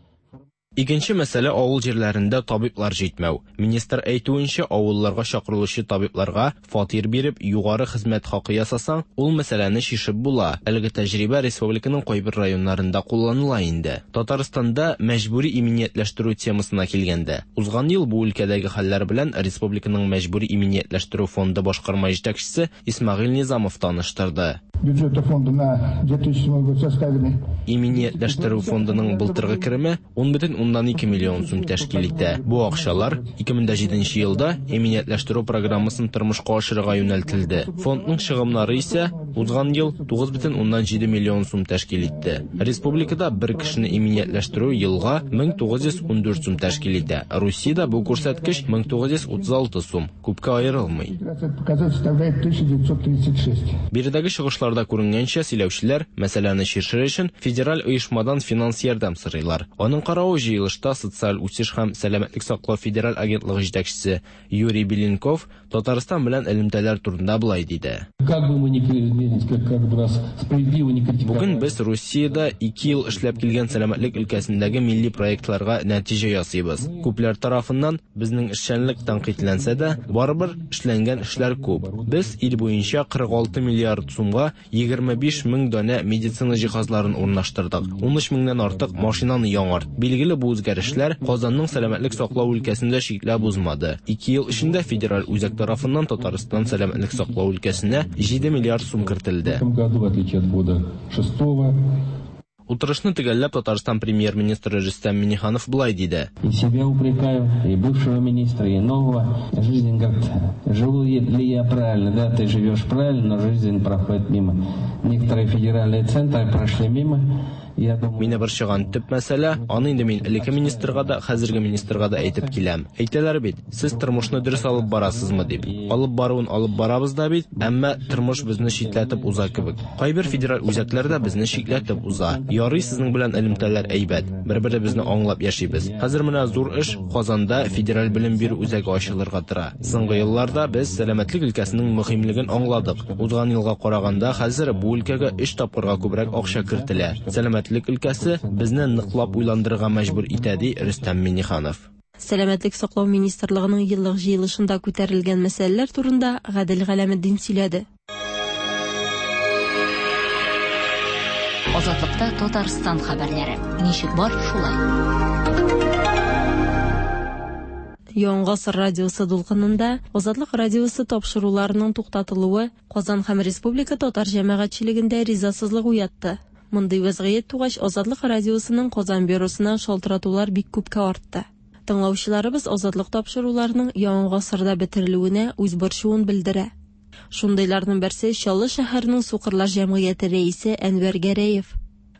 Икенче мәсьәлә авыл җирләрендә табиблар җитмәү. Министр әйтүенчә, авылларга чакырылучы табибларга фатир биреп, югары хезмәт хакы ясасаң, ул мәсьәләне чишеп була. Әлеге тәҗрибә республиканың кайбер районнарында кулланыла инде. Татарстанда мәҗбүри иминиятләштерү темасына килгәндә, узган ел бу өлкәдәге хәлләр белән республиканың мәҗбүри иминиятләштерү фонды башкарма җитәкчесе Исмәгыйль Низамов таныштырды. Бюджета фонда на 2007 год составили. Иминиятләштерү фондының былтыргы кереме 10,2 миллион сум тәшкил итә. Бу акчалар 2007 елда иминиятләштерү программасын тормышка ашырырга юнәлтелде. Фондның чыгымнары исә узган ел 9,7 миллион сум тәшкил итте. Республикада бер кешене иминиятләштерү елга 1914 сум тәшкил итә. Русиядә бу күрсәткеч 1936 сум, күпкә аерылмый. Показатель составляет 1936. Биредәге чыгышларда күренгәнчә, сөйләүчеләр мәсьәләне чишер өчен федераль оешмадан финанс ярдәм сорыйлар. Аның каравы җыелышта социаль үсеш һәм сәламәтлек саклау федераль агентлыгы җитәкчесе Юрий Беленков Татарстан белән элемтәләр турында болай диде. Как бы мы ни как бы нас справедливо не критиковали. Бүген без Русиядә 2 ел эшләп килгән сәламәтлек өлкәсендәге милли проектларга нәтиҗә ясыйбыз. Күпләр тарафыннан безнең эшчәнлек тәнкыйтьләнсә дә, барыбер эшләнгән эшләр күп. Без ил буенча 46 миллиард сумга 25 мең данә медицина җиһазларын урнаштырдык. 13 меңнән артык машинаны яңарт. Билгеле, бу үзгәрешләр Казанның сәламәтлек саклау өлкәсендә чикләп узмады. 2 ел эчендә федераль үзәк тарафыннан Татарстан сәламәтлек саклау өлкәсенә 7 миллиард сум кертелде. В этом году, в отличие от года шестого, Утырышны төгәлләп Татарстан премьер-министры Рөстәм Миңнеханов болай диде. И себя упрекаю, и бывшего министра, и нового. Жизнь говорит, живу ли я правильно, да, ты живешь правильно, но жизнь проходит мимо. Некоторые федеральные центры прошли мимо. Мине борчыган төп мәсьәлә, аны инде мин элекке министрга да, хәзерге министрга да әйтеп киләм. Әйтәләр бит, сез тормышны дөрес алып барасызмы дип. Алып баруын алып барабыз да бит, әмма тормыш безне читләтеп уза кебек. Кайбер федераль үзәкләр дә безне читләтеп уза. Ярый сезнең белән элемтәләр әйбәт, бер-беребезне аңлап яшибез. Хәзер менә зур эш, Казанда федераль белем бирү үзәге ачылырга тора. Соңгы елларда без сәламәтлек өлкәсенең мөһимлеген аңладык. Узган елга караганда хәзер бу өлкәгә өч тапкырга күбрәк акча кертелә. Сәламәтлек өлкәсе безне ныклап уйландырырга мәҗбүр итә, ди Рөстәм Миңнеханов. Сәламәтлек саклау министрлыгының еллык җыелышында күтәрелгән мәсьәләләр турында Гадел Галәметдин сөйләде. Азатлыкта Татарстан хәбәрләре. Ничек бар, шулай. Яңа гасыр радиосы дулкынында Азатлык радиосы тапшыруларының туктатылуы Казан һәм республика татар җәмәгатьчелегендә ризасызлык уятты. Мондый вәзгыять тугач, Азатлык радиосының Казан бюросына шалтыратулар бик күпкә артты. Тыңлаучыларыбыз Азатлык тапшыруларының Яңа гасырда бетерелүенә үз борчуын белдерә. Шундыйларның берсе Чаллы шәһәренең сукырлар җәмгыяте рәисе Әнвәр Гәрәев.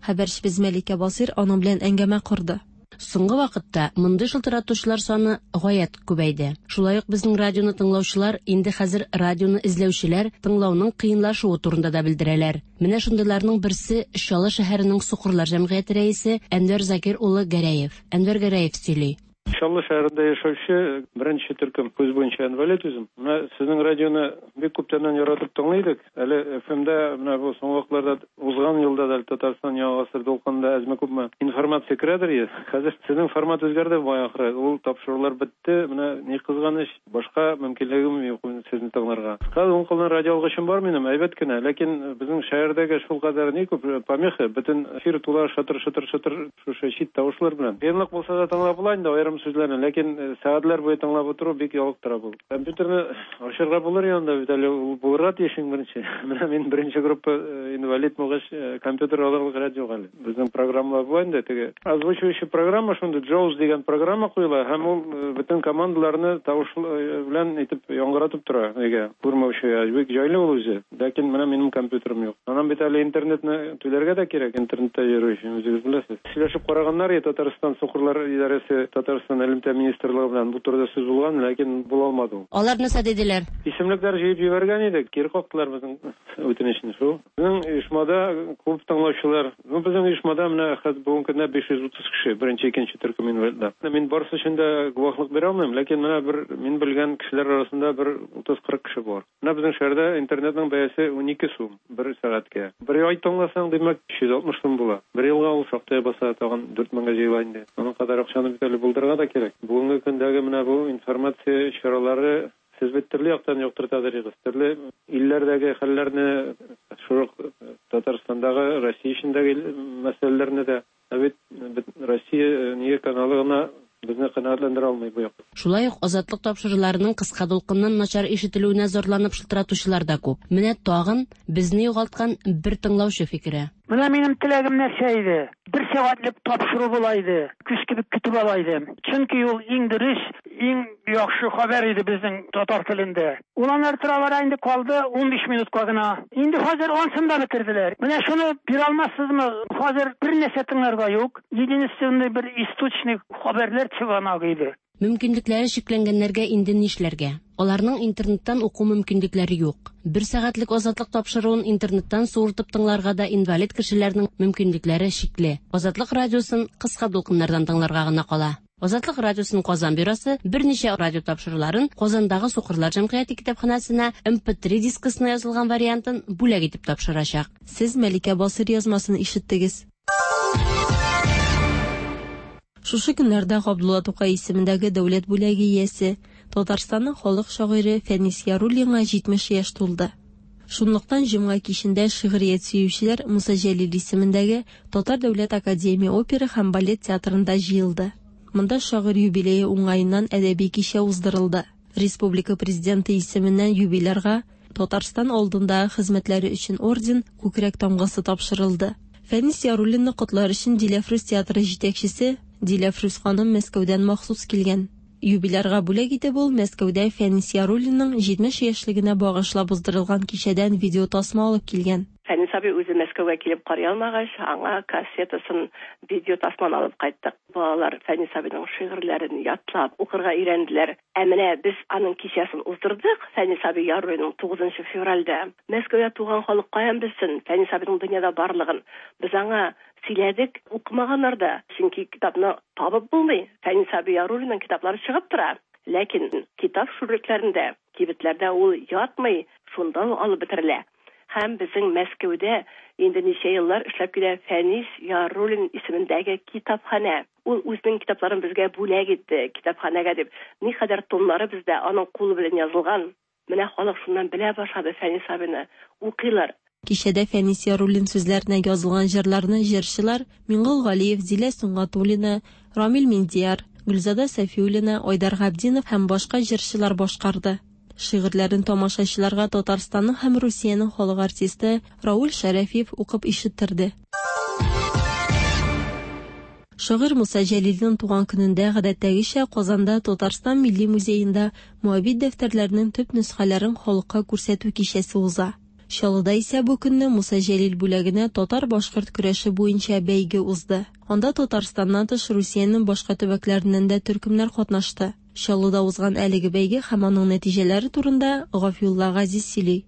Хәбәрчебез Мәликә Басыйр аның белән әңгәмә корды. Соңгы вакытта мондый шылтыратучылар саны гаять күбәйде. Шулай ук безнең радионы тыңлаучылар инде хәзер радионы эзләүчеләр тыңлауның кыенлашуы турында да белдерәләр. Менә шундыйларның берсе Чаллы шәһәренең сукырлар җәмгыяте рәисе Әнвәр Закир улы Гәрәев. Әнвәр Гәрәев сөйли. Чаллы шәһәрендә яшәүче беренче төркем күз буенча инвалид үзем. Менә сезнең радионы бик күптәннән яратып тыңлый идек. Әле ФМда менә бу соңгы вакытларда узган елда да әле Татарстан Яңа гасыр дулкынында әзме-күпме информация керәдер иде. Хәзер сезнең формат үзгәрде бугай ахры. Ул тапшырулар бетте. Менә ни кызганыч, башка мөмкинлегем юк сезне тыңларга. Хәзер уң кулдан радиоалгычым бар минем, әйбәт кенә. Ләкин безнең шәһәрдәге шулкадәр ни күп помеха, бөтен эфир тула шытыр-шытыр-шытыр Шушы чит тавышлар белән. Кыенлык булса да тыңлап була инде аерым сүзләрне, ләкин э, сәгатьләр буе тыңлап утыру бик ялыктыра бу. Компьютерны ачырга булыр янында бит әле ул булырга тиеш иң беренче. Менә мин беренче группа э, инвалид булгач, э, компьютер алырлык рәт юк әле. Безнең программалар була инде теге. Озвучивающий программа шундый JAWS дигән программа куела һәм ул бөтен командаларны тавыш белән итеп яңгыратып тора өйгә. Күрмәүчегә бик җайлы ул үзе. Ләкин менә минем компьютерым юк. Аннан бит әле интернетны түләргә дә кирәк, интернетта йөрү өчен, үзегез беләсез. Сөйләшеп караганнар иде Татарстан сукырлар идарәсе, Татарстан элемтә министрлыгы белән бу турыда сүз булган, ләкин була алмады ул. Алар нәрсә диделәр? Исемлекләр җыеп җибәргән идек, кире кактылар безнең үтенечне шул. Безнең оешмада күп тыңлаучылар. Ну, безнең оешмада менә хәзер бүгенге көндә 530 кеше, беренче, икенче төркем инвалидлар. Мин барысы өчен дә гуаһлык бирә алмыйм, ләкин менә бер мин белгән кешеләр арасында бер 30-40 кеше бар. Менә безнең шәһәрдә интернетның бәясе 12 сум бер сәгатькә. Бер ай тыңласаң, димәк, 360 сум була. Бер елга ул шактый баса, тагын 4000 гә җыела инде. Аның кадәр акчаны бит әле булдырырга да кирәк. Бүгенге көндәге менә бу информация чаралары сез бит төрле яктан яктыртадыр идегез. Төрле илләрдәге хәлләрне, шул ук Татарстандагы, Россия эчендәге мәсьәләләрне дә. Ә бит Россия нигә каналы гына безне канәгатьләндерә алмый бу якта. Шулай ук Азатлык тапшыруларының кыска дулкыннан начар ишетелүенә зарланып шылтыратучылар да күп. Менә тагын безне югалткан бер тыңлаучы фикере. Менә минем теләгем нәрсә иде? Бер сәгатьлек тапшыру була иде. Көз кебек көтеп ала идем. Чөнки ул иң дөрес, иң яхшы хәбәр иде безнең татар телендә. Ул аннары тора-бара инде калды 15 минутка гына. Инде хәзер ансын да бетерделәр. Менә шуны бирә алмассызмы? Хәзер бер нәрсә тыңларга юк. Единственный бер источник хәбәрләр чыганагы иде. Мөмкинлекләре чикләнгәннәргә инде нишләргә? Аларның интернеттан уку мөмкинлекләре юк. Бер сәгатьлек Азатлык тапшыруын интернеттан суыртып тыңларга да инвалид кешеләрнең мөмкинлекләре чикле. Азатлык радиосын кыска дулкыннардан тыңларга гына кала. Азатлык радиосының Казан бюросы берничә радио тапшыруларын Казандагы Сукырлар җәмгыяте китапханәсенә MP3 дискысына язылган вариантын бүләк итеп тапшырачак. Сез Мәликә Басыйр язмасын ишеттегез. Шушы көннәрдә Габдулла Тукай исемендәге дәүләт бүләге иясе, Татарстанның халык шагыйре Фәнис Яруллинга 70 яшь тулды. Шунлыктан җомга кичендә шигърият сөючеләр Муса Җәлил исемендәге Татар дәүләт академия опера һәм балет театрында җыелды. Монда шагыйрь юбилее уңаеннан әдәби кичә уздырылды. Республика Президенты исеменнән юбилярга Татарстан алдындагы хезмәтләре өчен орден, күкрәк тамгасы тапшырылды. Фәнис Яруллинны котлар өчен Диләфрүз театры җитәкчесе Диләфрүз ханым Мәскәүдән махсус килгән. Юбилярга бүләк итеп ул Мәскәүдә Фәнис Яруллинның 70 яшьлегенә багышлап уздырылган кичәдән видеотасма алып килгән. Фәнис абый үзе Мәскәүгә килеп карый алмагач, аңа кассетасын, видео тасманы алып кайттык. Балалар Фәнис абыйның шигырьләрен ятлап, укырга өйрәнделәр. Ә менә без аның кичәсен уздырдык, Фәнис абый Яруллинның 9 февральдә. Мәскәүдә туган халык каян белсен Фәнис абыйның дөньяда барлыгын. Без аңа сөйләдек, укымаганнар да, чөнки китапны табып булмый. Фәнис абый Яруллинның китаплары чыгып тора. Ләкин китап шүрлекләрендә, кибетләрдә ул ятмый, шунда ук алып бетерелә. Һәм безнең Мәскәүдә инде ничә еллар эшләп килә Фәнис Яруллин исемендәге китапханә. Ул үзенең китапларын безгә бүләк итте, китапханәгә дип. Никадәр томнары бездә аның кулы белән язылган. Менә халык шуннан белә башлады Фәнис абыйны. Укыйлар. Кичәдә Фәнис Яруллин сүзләренә язылган җырларны җырчылар Миңгол Галиев, Зилә Сөнгатуллина, Рамил Миндияр, Гөлзада Сафиуллина, Айдар Габдинов һәм башка җырчылар башкарды. Шигырьләрен тамашачыларга Татарстанның һәм Русиянең халык артисты Рауль Шәрәфиев укып ишеттерде. Шагыйрь Муса Җәлилнең туган көнендә, гадәттәгечә, Казанда Татарстан Милли музеенда Моабит дәфтәрләренең төп нөсхәләрен халыкка күрсәтү кичәсе уза. Чаллыда исә бу көнне Муса Җәлил бүләгенә татар-башкорт көрәше буенча бәйге узды. Анда Татарстаннан тыш Русиянең башка төбәкләреннән дә төркемнәр катнашты. Чаллыда узган әлеге бәйге һәм аның нәтиҗәләре турында Гафиулла Газиз сөйли.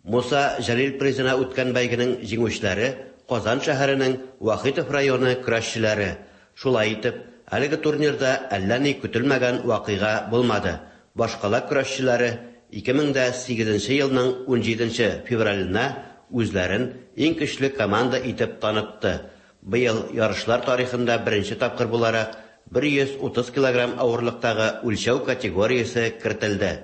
Муса Җәлил призына үткән бәйгенең җиңүчеләре Казан шәһәренең Вахитов районы көрәшчеләре. Шулай итеп, әлеге турнирда әллә ни көтелмәгән вакыйга булмады, башкала көрәшчеләре 2008 нче елның унҗиденче февраленә үзләрен иң көчле команда итеп танытты. Быел ярышлар тарихында беренче тапкыр буларак 130 килограмм авырлыктагы үлчәү категориясе кертелде.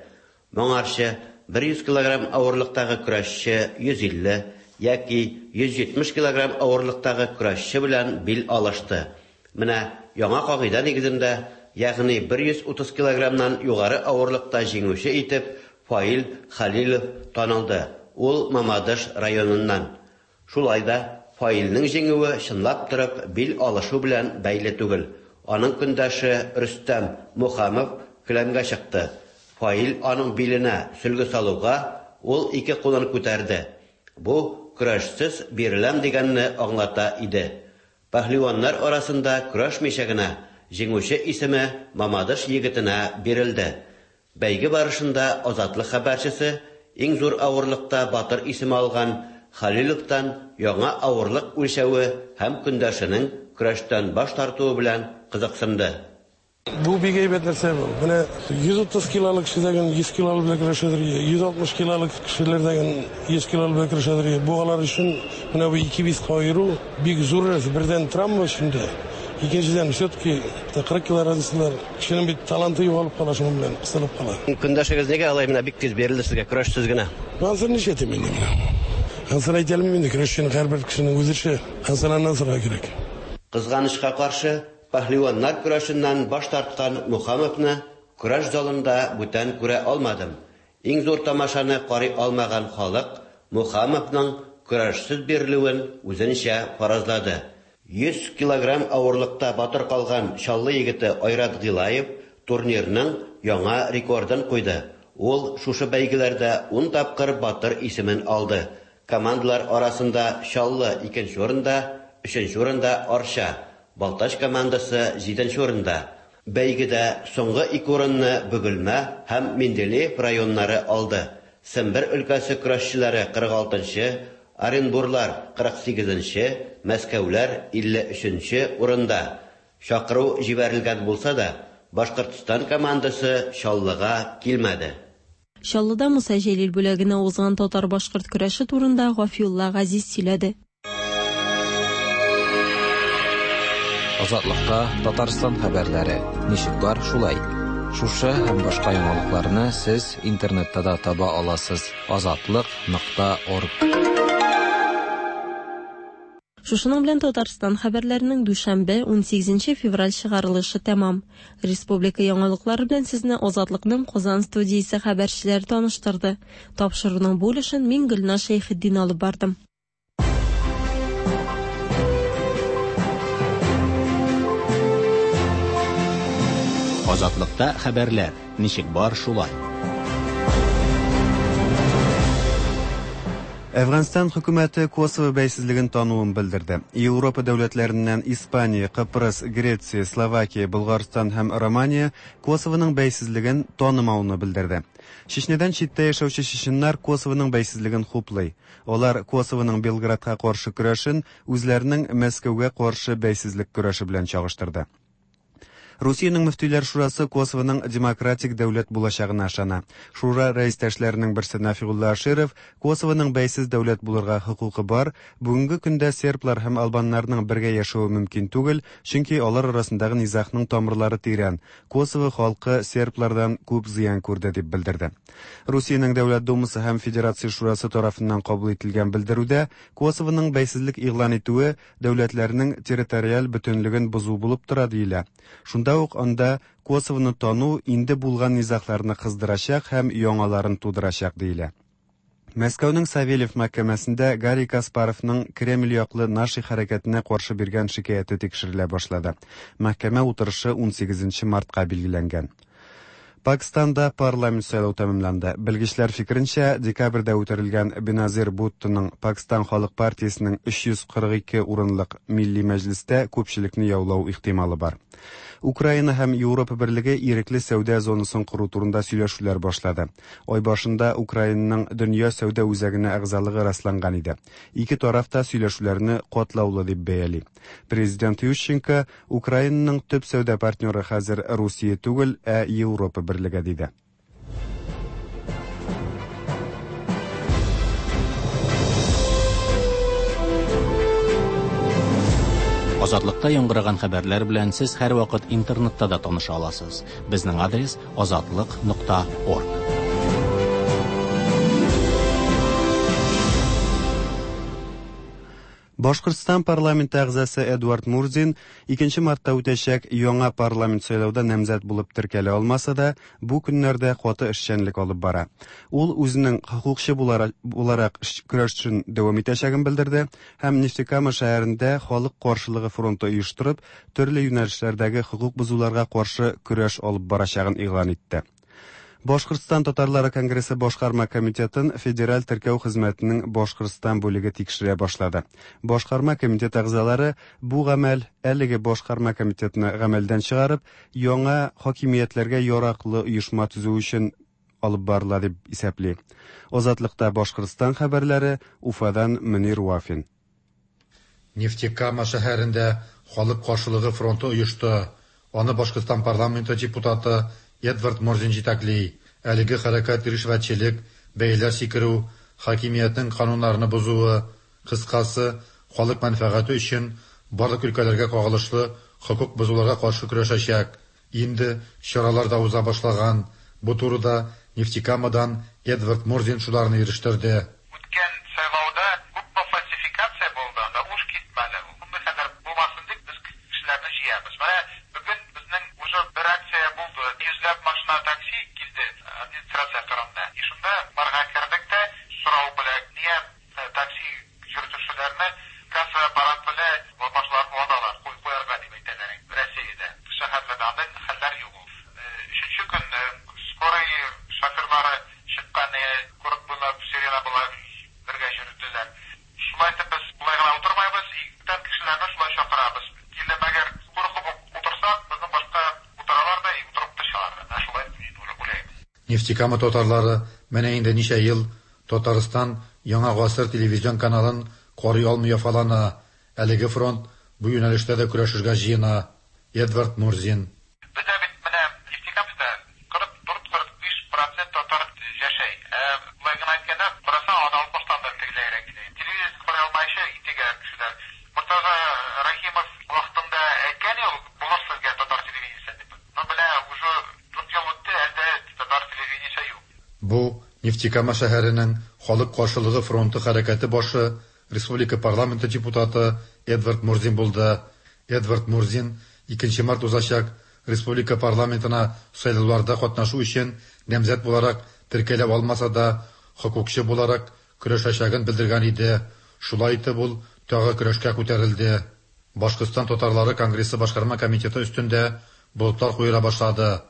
Моңарчы 100 килограмм авырлыктагы көрәшче 150 яки 170 килограмм авырлыктагы көрәшче белән бил алышты. Менә яңа кагыйдә нигезендә, ягъни 130 килограммнан югары авырлыкта җиңүче итеп Фаил Хәлилов танылды, ул Мамадыш районыннан. Шулай да, Фаилнең җиңүе чынлап торып бил алышу белән бәйле түгел. Аның көндәше Рөстәм Мухамов келәмгә чыкты. Фаил аның биленә сөлге салуга, ул ике кулын күтәрде. Бу, көрәшсез биреләм дигәнне аңлата иде. Пәһлеваннар арасында көрәшмичә генә җиңүче исеме Мамадыш егетенә бирелде. Бәйге барышында Азатлык хәбәрчесе иң зур авырлыкта батыр исеме алган Хәлиловтан яңа авырлык үлчәве һәм көндәшенең көрәштән баш тартуы белән кызыксынды. Бу бик әйбәт нәрсә бу. Менә 130 килолы кеше дә 100 килолы белән көрәшәдер, 160 килолы кешеләр дә 100 килолы белән көрәшәдер. Бу алар өчен менә бу ике веска аеру бик зур нәрсә. Бердән травма өчен дә, икенчедән все-таки 40 кило разницалар. Кешенең бит таланты югалып кала шуның белән, кысылып кала. Көндәшегез нигә алай менә бик тиз бирелде сезгә, көрәшсез генә? Анысын нишләтим инде менә. Анысын әйтә алмыйм инде, көрәшченең һәрбер кешенең үз эше. Анысын аннан сорарга кирәк. Кызганычка каршы, Пәһлеваннар көрәшеннән баш тарткан Мухамовны көрәш залында бүтән күрә алмадым. Иң зур тамашаны карый алмаган халык Мухамовның көрәшсез бирелүен үзенчә фаразлады. 100 килограмм авырлыкта батыр калган Чаллы егете Айрат Гыйлаев турнирның яңа рекордын куйды. Ул шушы бәйгеләрдә ун тапкыр батыр исемен алды. Командалар арасында Чаллы икенче урында, өченче урында Арча, Балтач командасы җиденче урында. Бәйгедә соңгы ике урынны Бөгелмә һәм Менделеев районнары алды. Сембер өлкәсе көрәшчеләре 46 нчы, Оренбурлар 48 нче, Мәскәүләр 53 нче урында. Чакыру җибәрелгән булса да, Башкортстан командасы Чаллыга килмәде. Чаллыда Муса Җәлил бүләгенә узган татар-башкорт көрәше турында Гафиулла Газиз сөйләде. Азатлыкта Татарстан хәбәрләре. Ничек бар, шулай. Шушы һәм башка яңалыкларны сез интернетта да таба аласыз. Азатлык.орг. Шушының белән Татарстан хәбәрләренең дүшәмбе, 18 февраль чыгарылышы тәмам. Республика яңалыклары белән сезне Азатлыкның Казан студиясе хәбәрчеләре таныштырды. Тапшыруның бу өлешен мин Гөлназ Шәйхетдин алып бардым. Азатлыкта хәбәрләр, ничек бар шулай. Әфганстан хөкүмәте Косово бәйсезлеген тануын белдерде. Европа дәүләтләреннән Испания, Кыпрыс, Греция, Словакия, Болгарстан һәм Романия Косовоның бәйсезлеген танымауны белдерде. Чечнедән читтә яшәүче чеченнар Косовоның бәйсезлеген хуплый. Алар Косовоның Белградка каршы көрәшен үзләренең Мәскәүгә каршы бәйсезлек көрәше белән чагыштырды. Русиянең мөфтиләр шурасы Косовоның демократик дәүләт булачагына ышана. Шура рәистәшләренең берсе Нафигулла Аширов Косовоның бәйсез дәүләт булырга хокукы бар, бүгенге көндә серблар һәм албаннарның бергә яшәве мөмкин түгел, чөнки алар арасындагы низагның тамырлары тирән, Косово халкы серблардан күп зыян күрде, дип белдерде. Русиянең Дәүләт Думасы һәм Федерация Шурасы тарафыннан кабул ителгән белдерүдә Косовоның бәйсезлек игълан итүе дәүләтләрнең территориаль бөтенлеген бозу булып тора диелә. Шунда ук анда Косовоны тану инде булган низагларны кыздырачак һәм яңаларын тудырачак диелә. Мәскәүнең Савельев мәхкәмәсендә Гарри Каспаровның Кремль яклы Наши хәрәкәтенә каршы биргән шикаяте тикшерелә башлады. Мәхкәмә утырышы 18 мартка билгеләнгән. Пакстанда парламент сайлау тәмамланды. Белгечләр фикеренчә, декабрьдә үтерелгән Беназир Буттоның Пакстан халык партиясенең 342 урынлык Милли мәҗлестә күпчелекне яулау ихтималы бар. Украина һәм Европа берлеге ирекле сәүдә зонасын кору турында сөйләшүләр башлады. Ай башында Украинаның Дөнья сәүдә үзәгенә әгъзалыгы расланган иде. Ике тараф та сөйләшүләрне катлаулы дип бәяли. Президент Ющенко Украинаның төп сәүдә партнеры хәзер Русия түгел, ә Европа берлеге диде. Азатлыкта яңгыраган хәбәрләр белән сез һәрвакыт интернетта да таныша аласыз. Безнең адрес азатлык.орг. Башкортстан парламенты әгъзасы Эдуард Мурзин 2 мартта үтәчәк яңа парламент сайлауда намзәт булып теркәлә алмаса да, бу көннәрдә каты эшчәнлек алып бара. Ул үзенең хокукчы буларак көрәшен дәвам итәчәген белдерде һәм Нефтекама шәһәрендә халык каршылыгы фронты оештырып, төрле юнәлешләрдәге хокук бозуларга каршы көрәш алып барачагын игълан итте. Башкортстан татарлары конгрессы башкарма комитетын Федераль теркәү хезмәтенең Башкортстан бүлеге тикшерә башлады. Башкарма комитет әгъзалары бу гамәл әлеге башкарма комитетны гамәлдән чыгарып, яңа хакимиятләргә яраклы оешма төзү өчен алып барыла дип исәпли. Азатлыкта Башкортстан хәбәрләре Уфадан Мөнир Вафин. Нефтекама шәһәрендә халык каршылыгы фронты оешты. Аны Башкортстан парламенты депутаты Эдвард Мурзин җитәкли. Әлеге хәрәкәт ришвәтчелек, бәяләр сикерү, хакимиятнең кануннарны бозуы, кыскасы, халык мәнфәгате өчен барлык өлкәләргә кагылышлы хокук бозуларга каршы көрәшәчәк. Инде чаралар да уза башлаган. Бу турыда Нефтекамадан Эдвард Мурзин шуларны ирештерде. Үткән сайлауда күпме фальсификация булды, анда уш китмәде. Мондый хәлләр булмасын дип без кешеләрне җыябыз. Менә бүген безнең уже бер акция булды. Йөзләп машина такси килде администрация кырында. И шунда барга кердек тә сорау белән, нигә такси йөртүчеләрне касса аппарат белән башлар ваталар, куярга дип әйтәләр. Россиядә шәһәрләрдә андый хәлләр юк. Өченче көн скорый шоферлары чыккан, курык буйлап сирена була бергә йөрделәр. Шулай итеп без болай гына утырмайбыз, бүтән кешеләрне шулай чакырабыз. Килеп әгәр куркып утырсак, безнең башка утыралар да утырып та чыгалар. Менә шулай мин уйлыйм. Нефтекама татарлары менә инде ничә ел Татарстан Яңа гасыр телевизион каналын карый алмый яфалана. Әлеге фронт бу юнәлештә дә көрәшергә җыена. Эдвард Мурзин. Бездә бит менә Нефтекамскта 44-45% татар яшәй. Болай гына әйткәндә, карасаң, аны 60-тан да тегеләйрәк килә. Телевизор карый алмаючы интегә кешеләр. Мортаза Рәхимов вакытында әйткән ул, булыр сезгә татар телевидениесе дип. Но менә уже 4 ел үтте, әле татар телевидениесе юк. Бу Нефтекама шәһәренең халык каршылыгы фронты хәрәкәте башы, республика парламенты депутаты Эдвард Мурзин булды. Эдвард Мурзин 2 март узачак республика парламентына сайлауларда катнашу өчен намзәт буларак теркәлә алмаса да, хокукчы буларак көрәшәчәген белдергән иде. Шулай итеп ул тагы көрәшкә күтәрелде. Башкортстан татарлары конгрессы башкарма комитеты өстендә болытлар куера башлады.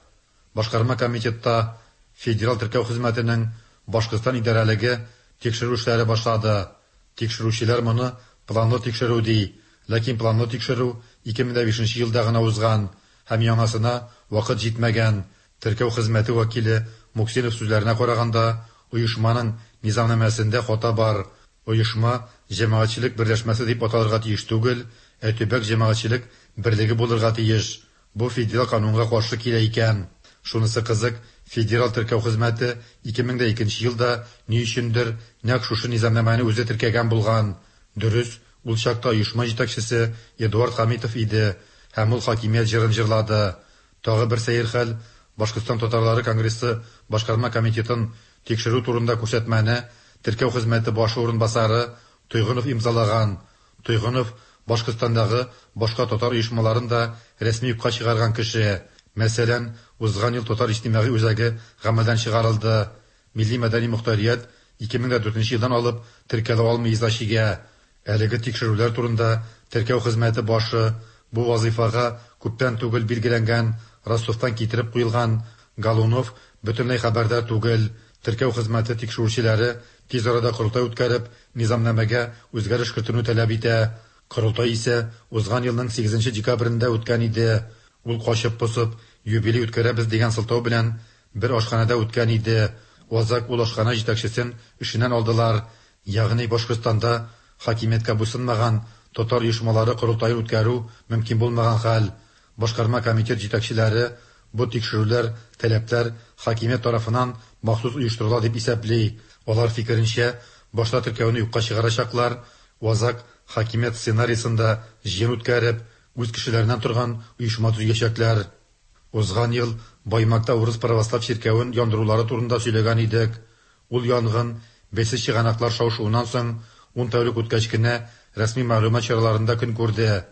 Башкарма комитетта Федераль теркәү хезмәтенең Башкортстан идарәлеге тикшерү эшләре башлады. Тикшерүчеләр моны планлы тикшерү ди, ләкин планлы тикшерү 2005 елда гына узган һәм яңасына вакыт җитмәгән. Теркәү хезмәте вәкиле Муксинов сүзләренә караганда, оешманың низамнамәсендә хата бар. Оешма җәмәгатьчелек берләшмәсе дип аталырга тиеш түгел, ә төбәк җәмәгатьчелек берлеге булырга тиеш. Бу федераль канунга каршы килә икән. Шунысы кызык, федераль теркәү хезмәте 2002 елда ни өчендер нәкъ шушы низамнамәне үзе теркәгән булган. Дөрес, ул чакта оешма җитәкчесе Эдуард Хәмитов иде һәм ул хакимият җырын җырлады. Тагы бер сәер хәл, Башкортстан татарлары конгрессы башкарма комитетын тикшерү турында күрсәтмәне теркәү хезмәте башы урынбасары Тойгынов имзалаган. Тойгынов Башкортстандагы башка татар оешмаларын да рәсми юкка чыгарган кеше. Мәсәлән, узган ел Татар иҗтимагый үзәге гамәлдән чыгарылды. Милли мәдәни мохтарият 2004 елдан алып теркәлә алмый иза чигә. Әлеге тикшерүләр турында теркәү хезмәте башы бу вазыйфага күптән түгел билгеләнгән Ростовтан китереп куелган Галунов бөтенләй хәбәрдар түгел. Теркәү хезмәте тикшерүчеләре тиз арада корылтай үткәреп, низамнамәгә үзгәреш кертүне таләп итә. Корылтай исә узган елның 8 декабрендә үткән иде. Ул качып-посып, юбилей үткәрәбез дигән сылтау белән бер ашханәдә үткән иде. Азак ул ашханә җитәкчесен эшеннән алдылар. Ягъни Башкортстанда хакимияткә буйсынмаган татар оешмалары корылтаен үткәрү мөмкин булмаган хәл. Башкарма комитет җитәкчеләре бу тикшерүләр, таләпләр хакимият тарафыннан махсус оештырыла дип исәпли. Алар фикеренчә, башта теркәүне юкка чыгарачаклар, азак хакимият сценарийсында җыен үткәреп, үз кешеләреннән торган оешма төзүячәкләр. Узган ел Баймакта урыс православ чиркәвен яндырулары турында сөйләгән идек. Ул янгын бәйсез чыганаклар шау-шуыннан соң 10 тәүлек үткәч кенә рәсми мәгълүмат чараларында көн күрде.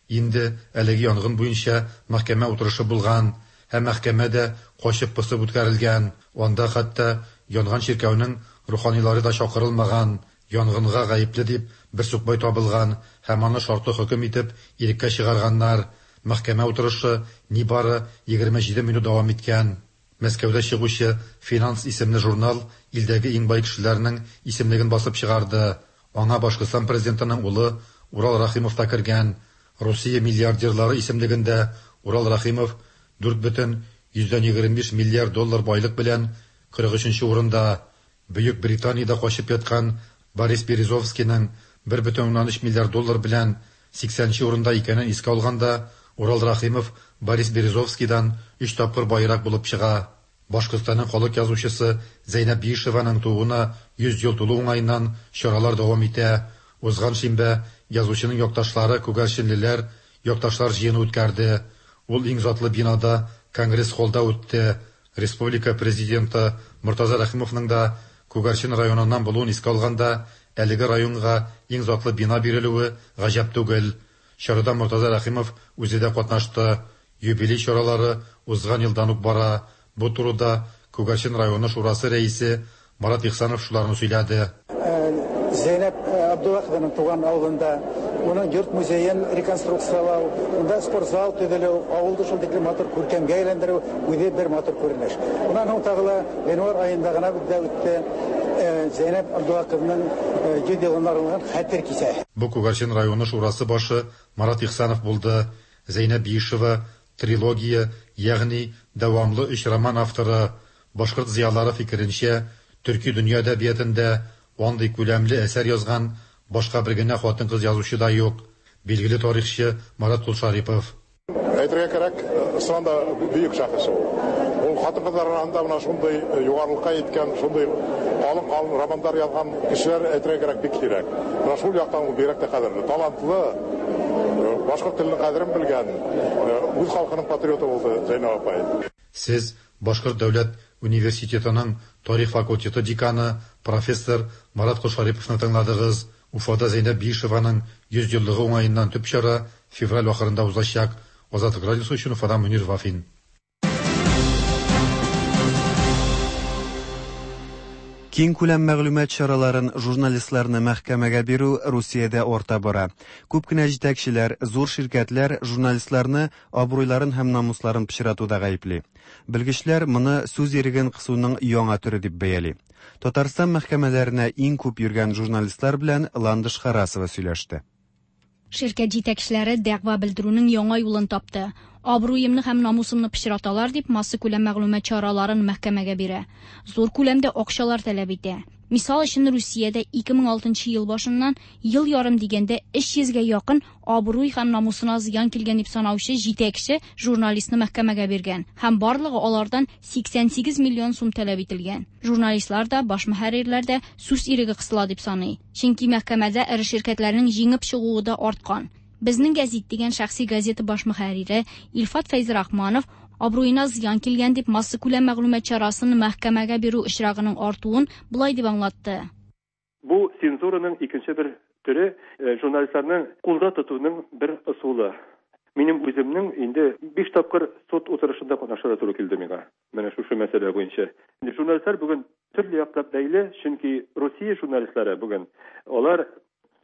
Инде әлеге янгын буенча мәхкәмә утырышы булган һәм мәхкәмә дә качып-посып үткәрелгән. Анда хәтта янган чиркәүнең руханилары да чакырылмаган. Янгынга гаепле дип бер сукбай табылган һәм аны шартлы хөкем итеп иреккә чыгарганнар. Мәхкәмә утырышы нибары 27 минут дәвам иткән. Мәскәүдә чыгучы Финанс исемле журнал илдәге иң бай кешеләрнең исемлеген басып чыгарды. Аңа Башкортстан президентының улы Урал Рәхимов та кергән. Русия миллиардерлары исемлегендә Урал Рәхимов 4,25 миллиард доллар байлык белән 43 урында. Бөек Британиядә качып яткан Борис Березовскийның 1,3 миллиард доллар белән 80 урында икәнен искә алганда, Урал Рәхимов Борис Березовскийдан 3 тапкыр байрак булып чыга. Башкортстанның халык язучысы Зәйнәб Биишеваның тууына 100 ел тулу уңаеннан чаралар дәвам итә. Узган шимбә язучының якташлары күгәрченлеләр якташлар җыены үткәрде. Ул иң затлы бинада Конгресс-холлда үтте. Республика президенты Мортаза Рәхимовның да Күгәрчен районыннан булуын искә алганда, әлеге районга иң затлы бина бирелүе гаҗәп түгел. Чарада Мортаза Рәхимов үзе дә катнашты. Юбилей чаралары узган елдан ук бара. Бу турыда Күгәрчен районы шурасы рәисе Марат Ихсанов шуларны сөйләде. Зәйнәб Абдуллахованың туган авылында уның йорт музеен реконструкциялау, унда спортзал төзелү, авылды шул тиклем матур күркәмгә әйләндерү үзе бер матур күренеш. Уннан һуң тагы ла гыйнвар аенда гына бездә үтте Зәйнәб Абдуллахованың 100 елына арналган хәтер кичәсе. Бу Күгәрчен районы шурасы башы Марат Ихсанов булды. Зәйнәб Биишева трилогия, ягъни дәвамлы өч роман авторы. Башкорт зыялары фикеренчә, төрки дөнья әдәбиятында андый күләмле әсәр язган башка бер генә хатын-кыз язучы да юк. Билгеле тарихчы Марат Кулшарипов. Әйтергә кирәк, чыннан да бөек шәхес ул. Ул хатын-кызлар арасында менә шундый югарылыкка җиткән, шундый калын-калын романнар язган кешеләр, әйтергә кирәк, бик сирәк. Менә шул яктан ул бигрәк тә кадерле, талантлы, башкорт теленең кадерен белгән, үз халкының патриоты булды Зәйнәб апай. Сез Башкорт дәүләт университетының тарих факультеты деканы, профессор Марат Колшариповны тыңладыгыз. Уфада Зәйнәб Биишеваның 100 еллыгы уңаеннан төп чара февраль ахырында узачак. Азатлык радиосы өчен Уфадан Мөнир Вафин. Киңкүләм мәгълүмат чараларын, журналистларны мәхкәмәгә бирү Русиядә арта бара. Күп кенә җитәкчеләр, зур ширкәтләр журналистларны абруйларын һәм намусларын пычратуда гаепли. Белгечләр моны сүз иреген кысуның яңа төре дип бәяли. Татарстан мәхкәмәләренә иң күп йөргән журналистлар белән Ландыш Харасова сөйләште. Ширкәт җитәкчеләре дәгъва белдерүнең яңа юлын тапты. Абруемны һәм намусымны пычраталар дип, массакүләм мәгълүмат чараларын мәхкәмәгә бирә. Зур күләмдә акчалар таләп итә. Мисал өчен, Русиядә 2006 нчы ел башыннан ел ярым дигәндә 300 гә якын абруй һәм намусына зыян килгән дип санаучы җитәкче журналистны мәхкәмәгә биргән һәм барлыгы алардан 88 миллион сум таләп ителгән. Журналистлар да, баш мөхәррирләр дә сүз иреге кысыла дип саный. Чөнки мәхкәмәдә эре ширкәтләрнең җиңеп чыгуы да арткан. Безнең гәзит дигән шәхси газета баш мөхәррире Илфат Фәйзрахманов абруена зыян килгән дип массакүләм мәгълүмат чарасын мәхкәмәгә бирү очрагының артуын болай дип аңлатты. Бу цензураның икенче бер төре, журналистларны кулда тотуның бер ысулы. Минем үземнең инде биш тапкыр суд утырышында катнашырга туры килде миңа, менә шушы мәсьәлә буенча. Инде журналистлар бүген төрле яклап бәйле, чөнки Русия журналистлары бүген алар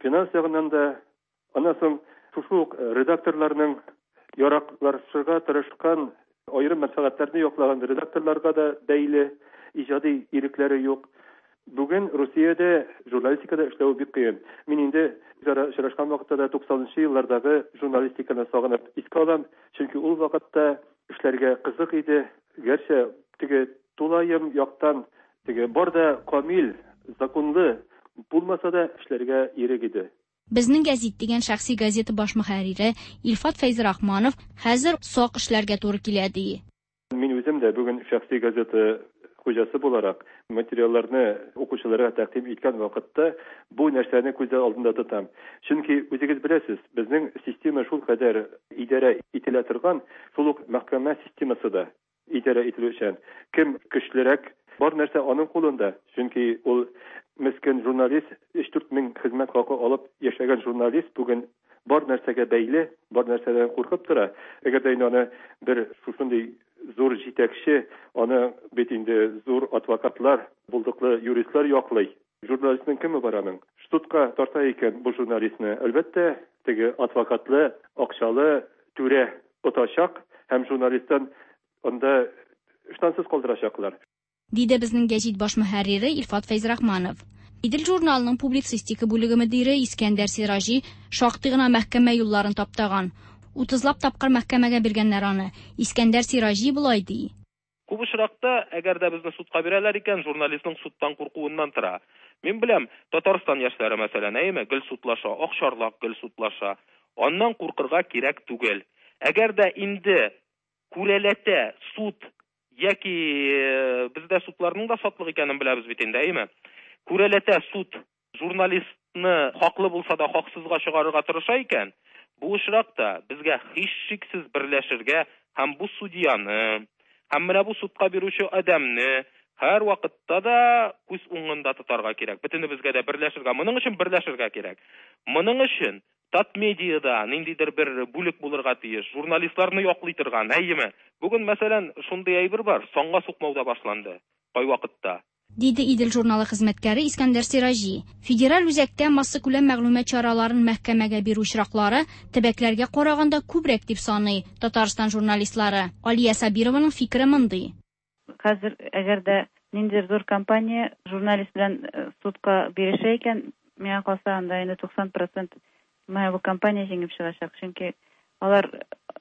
финанс ягыннан да, Аннан соң шушы ук редакторларның яраклашырга тырышкан, аерым мәнфәгатьләрне яклаган редакторларга да бәйле, иҗади ирекләре юк. Бүген Русиядә журналистикада эшләве бик кыен. Мин инде үзара очрашкан вакытта да 90 нчы еллардагы журналистиканы сагынып искә алам, чөнки ул вакытта эшләргә кызык иде, гәрчә теге тулаем яктан теге бар да камил, законлы булмаса да эшләргә ирек иде. Безнең гәзит дигән шәхси газета баш мөхәррире Илфат Фәйзрахманов хәзер сак эшләргә туры килә, ди. Мин үзем дә бүген шәхси газета хуҗасы буларак, материалларны укучыларга тәкъдим иткән вакытта бу нәрсәне күз алдында тотам. Чөнки, үзегез беләсез, безнең система шулкадәр идарә ителә торган, шул ук мәхкәмә системасы да. Идарә ителүчән. Кем көчлерәк, бар нәрсә аның кулында. Чөнки ул мескен журналист, өч-дүрт мең хезмәт хакы алып яшәгән журналист бүген бар нәрсәгә бәйле, бар нәрсәдән куркып тора. Әгәр дә инде аны бер шушындый зур җитәкче, аны бит инде зур адвокатлар, булдыклы юристлар яклый. Журналистның кеме бар аның? Судка тарта икән бу журналистны, әлбәттә, теге адвокатлы, акчалы түрә отачак һәм журналисттан анда ыштансыз калдырачаклар. Диде Безнең гәҗит баш мөхәррире Илфат Фәйзрахманов. Идел журналының публицистика бүлеге мөдире Искәндәр Сираҗи шактый гына мәхкәмә юлларын таптаган. Утызлап тапкыр мәхкәмәгә биргәннәр аны. Искәндәр Сираҗи болай ди. Күп очракта, әгәр дә безне судка бирәләр икән, журналистның судтан куркуыннан тора. Мин беләм, Татарстан яшьләре, мәсәлән, әйеме, гел судлаша, Акчарлак гел судлаша. Аннан куркырга кирәк түгел. Әгәр дә инде күрәләтә суд яки бездә судларның да сатлык икәнен беләбез бит инде, әйеме? Күрәләтә суд журналистны хаклы булса да хаксызга чыгарырга тырыша икән, бу очракта безгә һичшиксез берләшергә һәм бу судьяны, һәм менә бу судка бирүче адәмне һәрвакытта да күз уңында тотарга кирәк. Бөтенебезгә дә берләшергә, моның өчен берләшергә кирәк. Моның өчен Татмедиада ниндидер бер бүлек булырга тиеш, журналистларны яклый торган, әйеме? Бүген, мәсәлән, шундый әйбер бар, санга сукмау да башланды кайвакытта. Диде Идел журналы хезмәткәре Искәндәр Сираҗи. Федераль үзәктә массакүләм мәгълүмат чараларын мәхкәмәгә бирү очраклары төбәкләргә караганда күбрәк дип саный Татарстан журналистлары. Алия Сабированың фикере мондый. Хәзер әгәр дә ниндидер зур компания журналист белән судка бирешә икән, миңа калса, анда инде 90 процент менә бу компания җиңеп чыгачак. Чөнки алар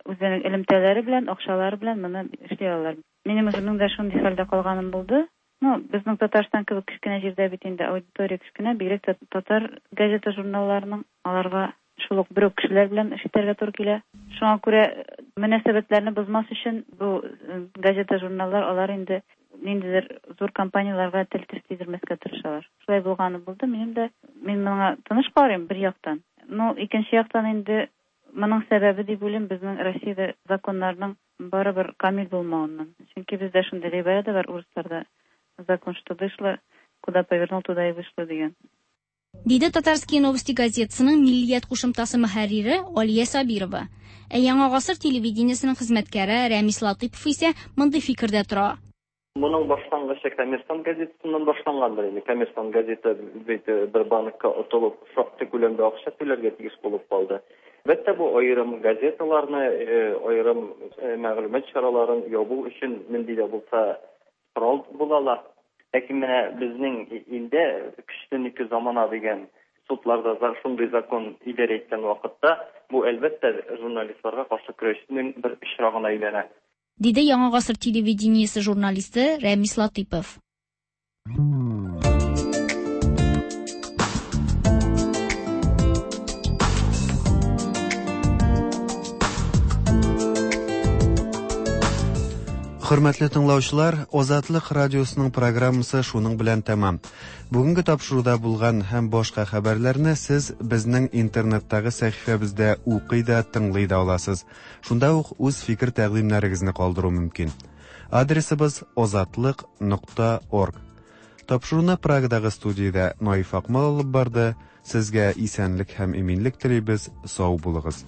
үзләренең элемтәләре белән, акчалары белән моны эшли алалар. Минем үземнең дә шундый хәлдә калганым булды. Ну, безнең Татарстан кебек кечкенә җирдә бит инде аудитория кечкенә, бигрәк тә татар газета-журналларының аларга шул ук бер үк кешеләр белән эш итәргә туры килә. Шуңа күрә мөнәсәбәтләрне бозмас өчен бу газета-журналлар алар инде ниндидер зур компанияләргә тел-теш тидермәскә тырышалар. Шулай булганы булды минем дә. Мин моңа тыныч карыйм бер яктан. Ну, икенче яктан инде моның сәбәбе дип уйлыйм безнең Россиядә законнарның барыбер камил булмавыннан. Чөнки бездә шундый гыйбарә дә бар урысларда, закон что дышло, куда повернул, туда и вышло дигән. Диде Татарские новости газетасының Миллият кушымтасы мөхәррире Алия Сабирова. Ә Яңа гасыр телевидениесенең хезмәткәре Рәмис Латыйпов исә мондый фикердә тора. Моның башлангычы Коммерсант газетасыннан башлангандыр инде. Коммерсант газета бит бер банкка отылып, шактый күләмдә акча түләргә тиеш булып калды. Әлбәттә, бу аерым газеталарны, аерым мәгълүмат чараларын ябу өчен нинди дә булса корал була ала. Ләкин менә безнең илдә көчленеке замана дигән судларда шундый закон идарә иткән вакытта, бу, әлбәттә, журналистларга каршы көрәшнең бер очрагына әйләнә. Диде Яңа гасыр телевидениесе журналисты Рәмис Латыйпов. Хөрмәтле тыңлаучылар, Азатлык радиосының программасы шуның белән тәмам. Бүгенге тапшыруда булган һәм башка хәбәрләрне сез безнең интернеттагы сәхифәбездә укый да, тыңлый да аласыз. Шунда ук үз фикер-тәкъдимнәрегезне калдыру мөмкин. Адресыбыз озатлык.орг. Тапшыруны Прагадагы студиядә Наиф Акмал алып барды. Сезгә исәнлек һәм иминлек телибез. Сау булыгыз.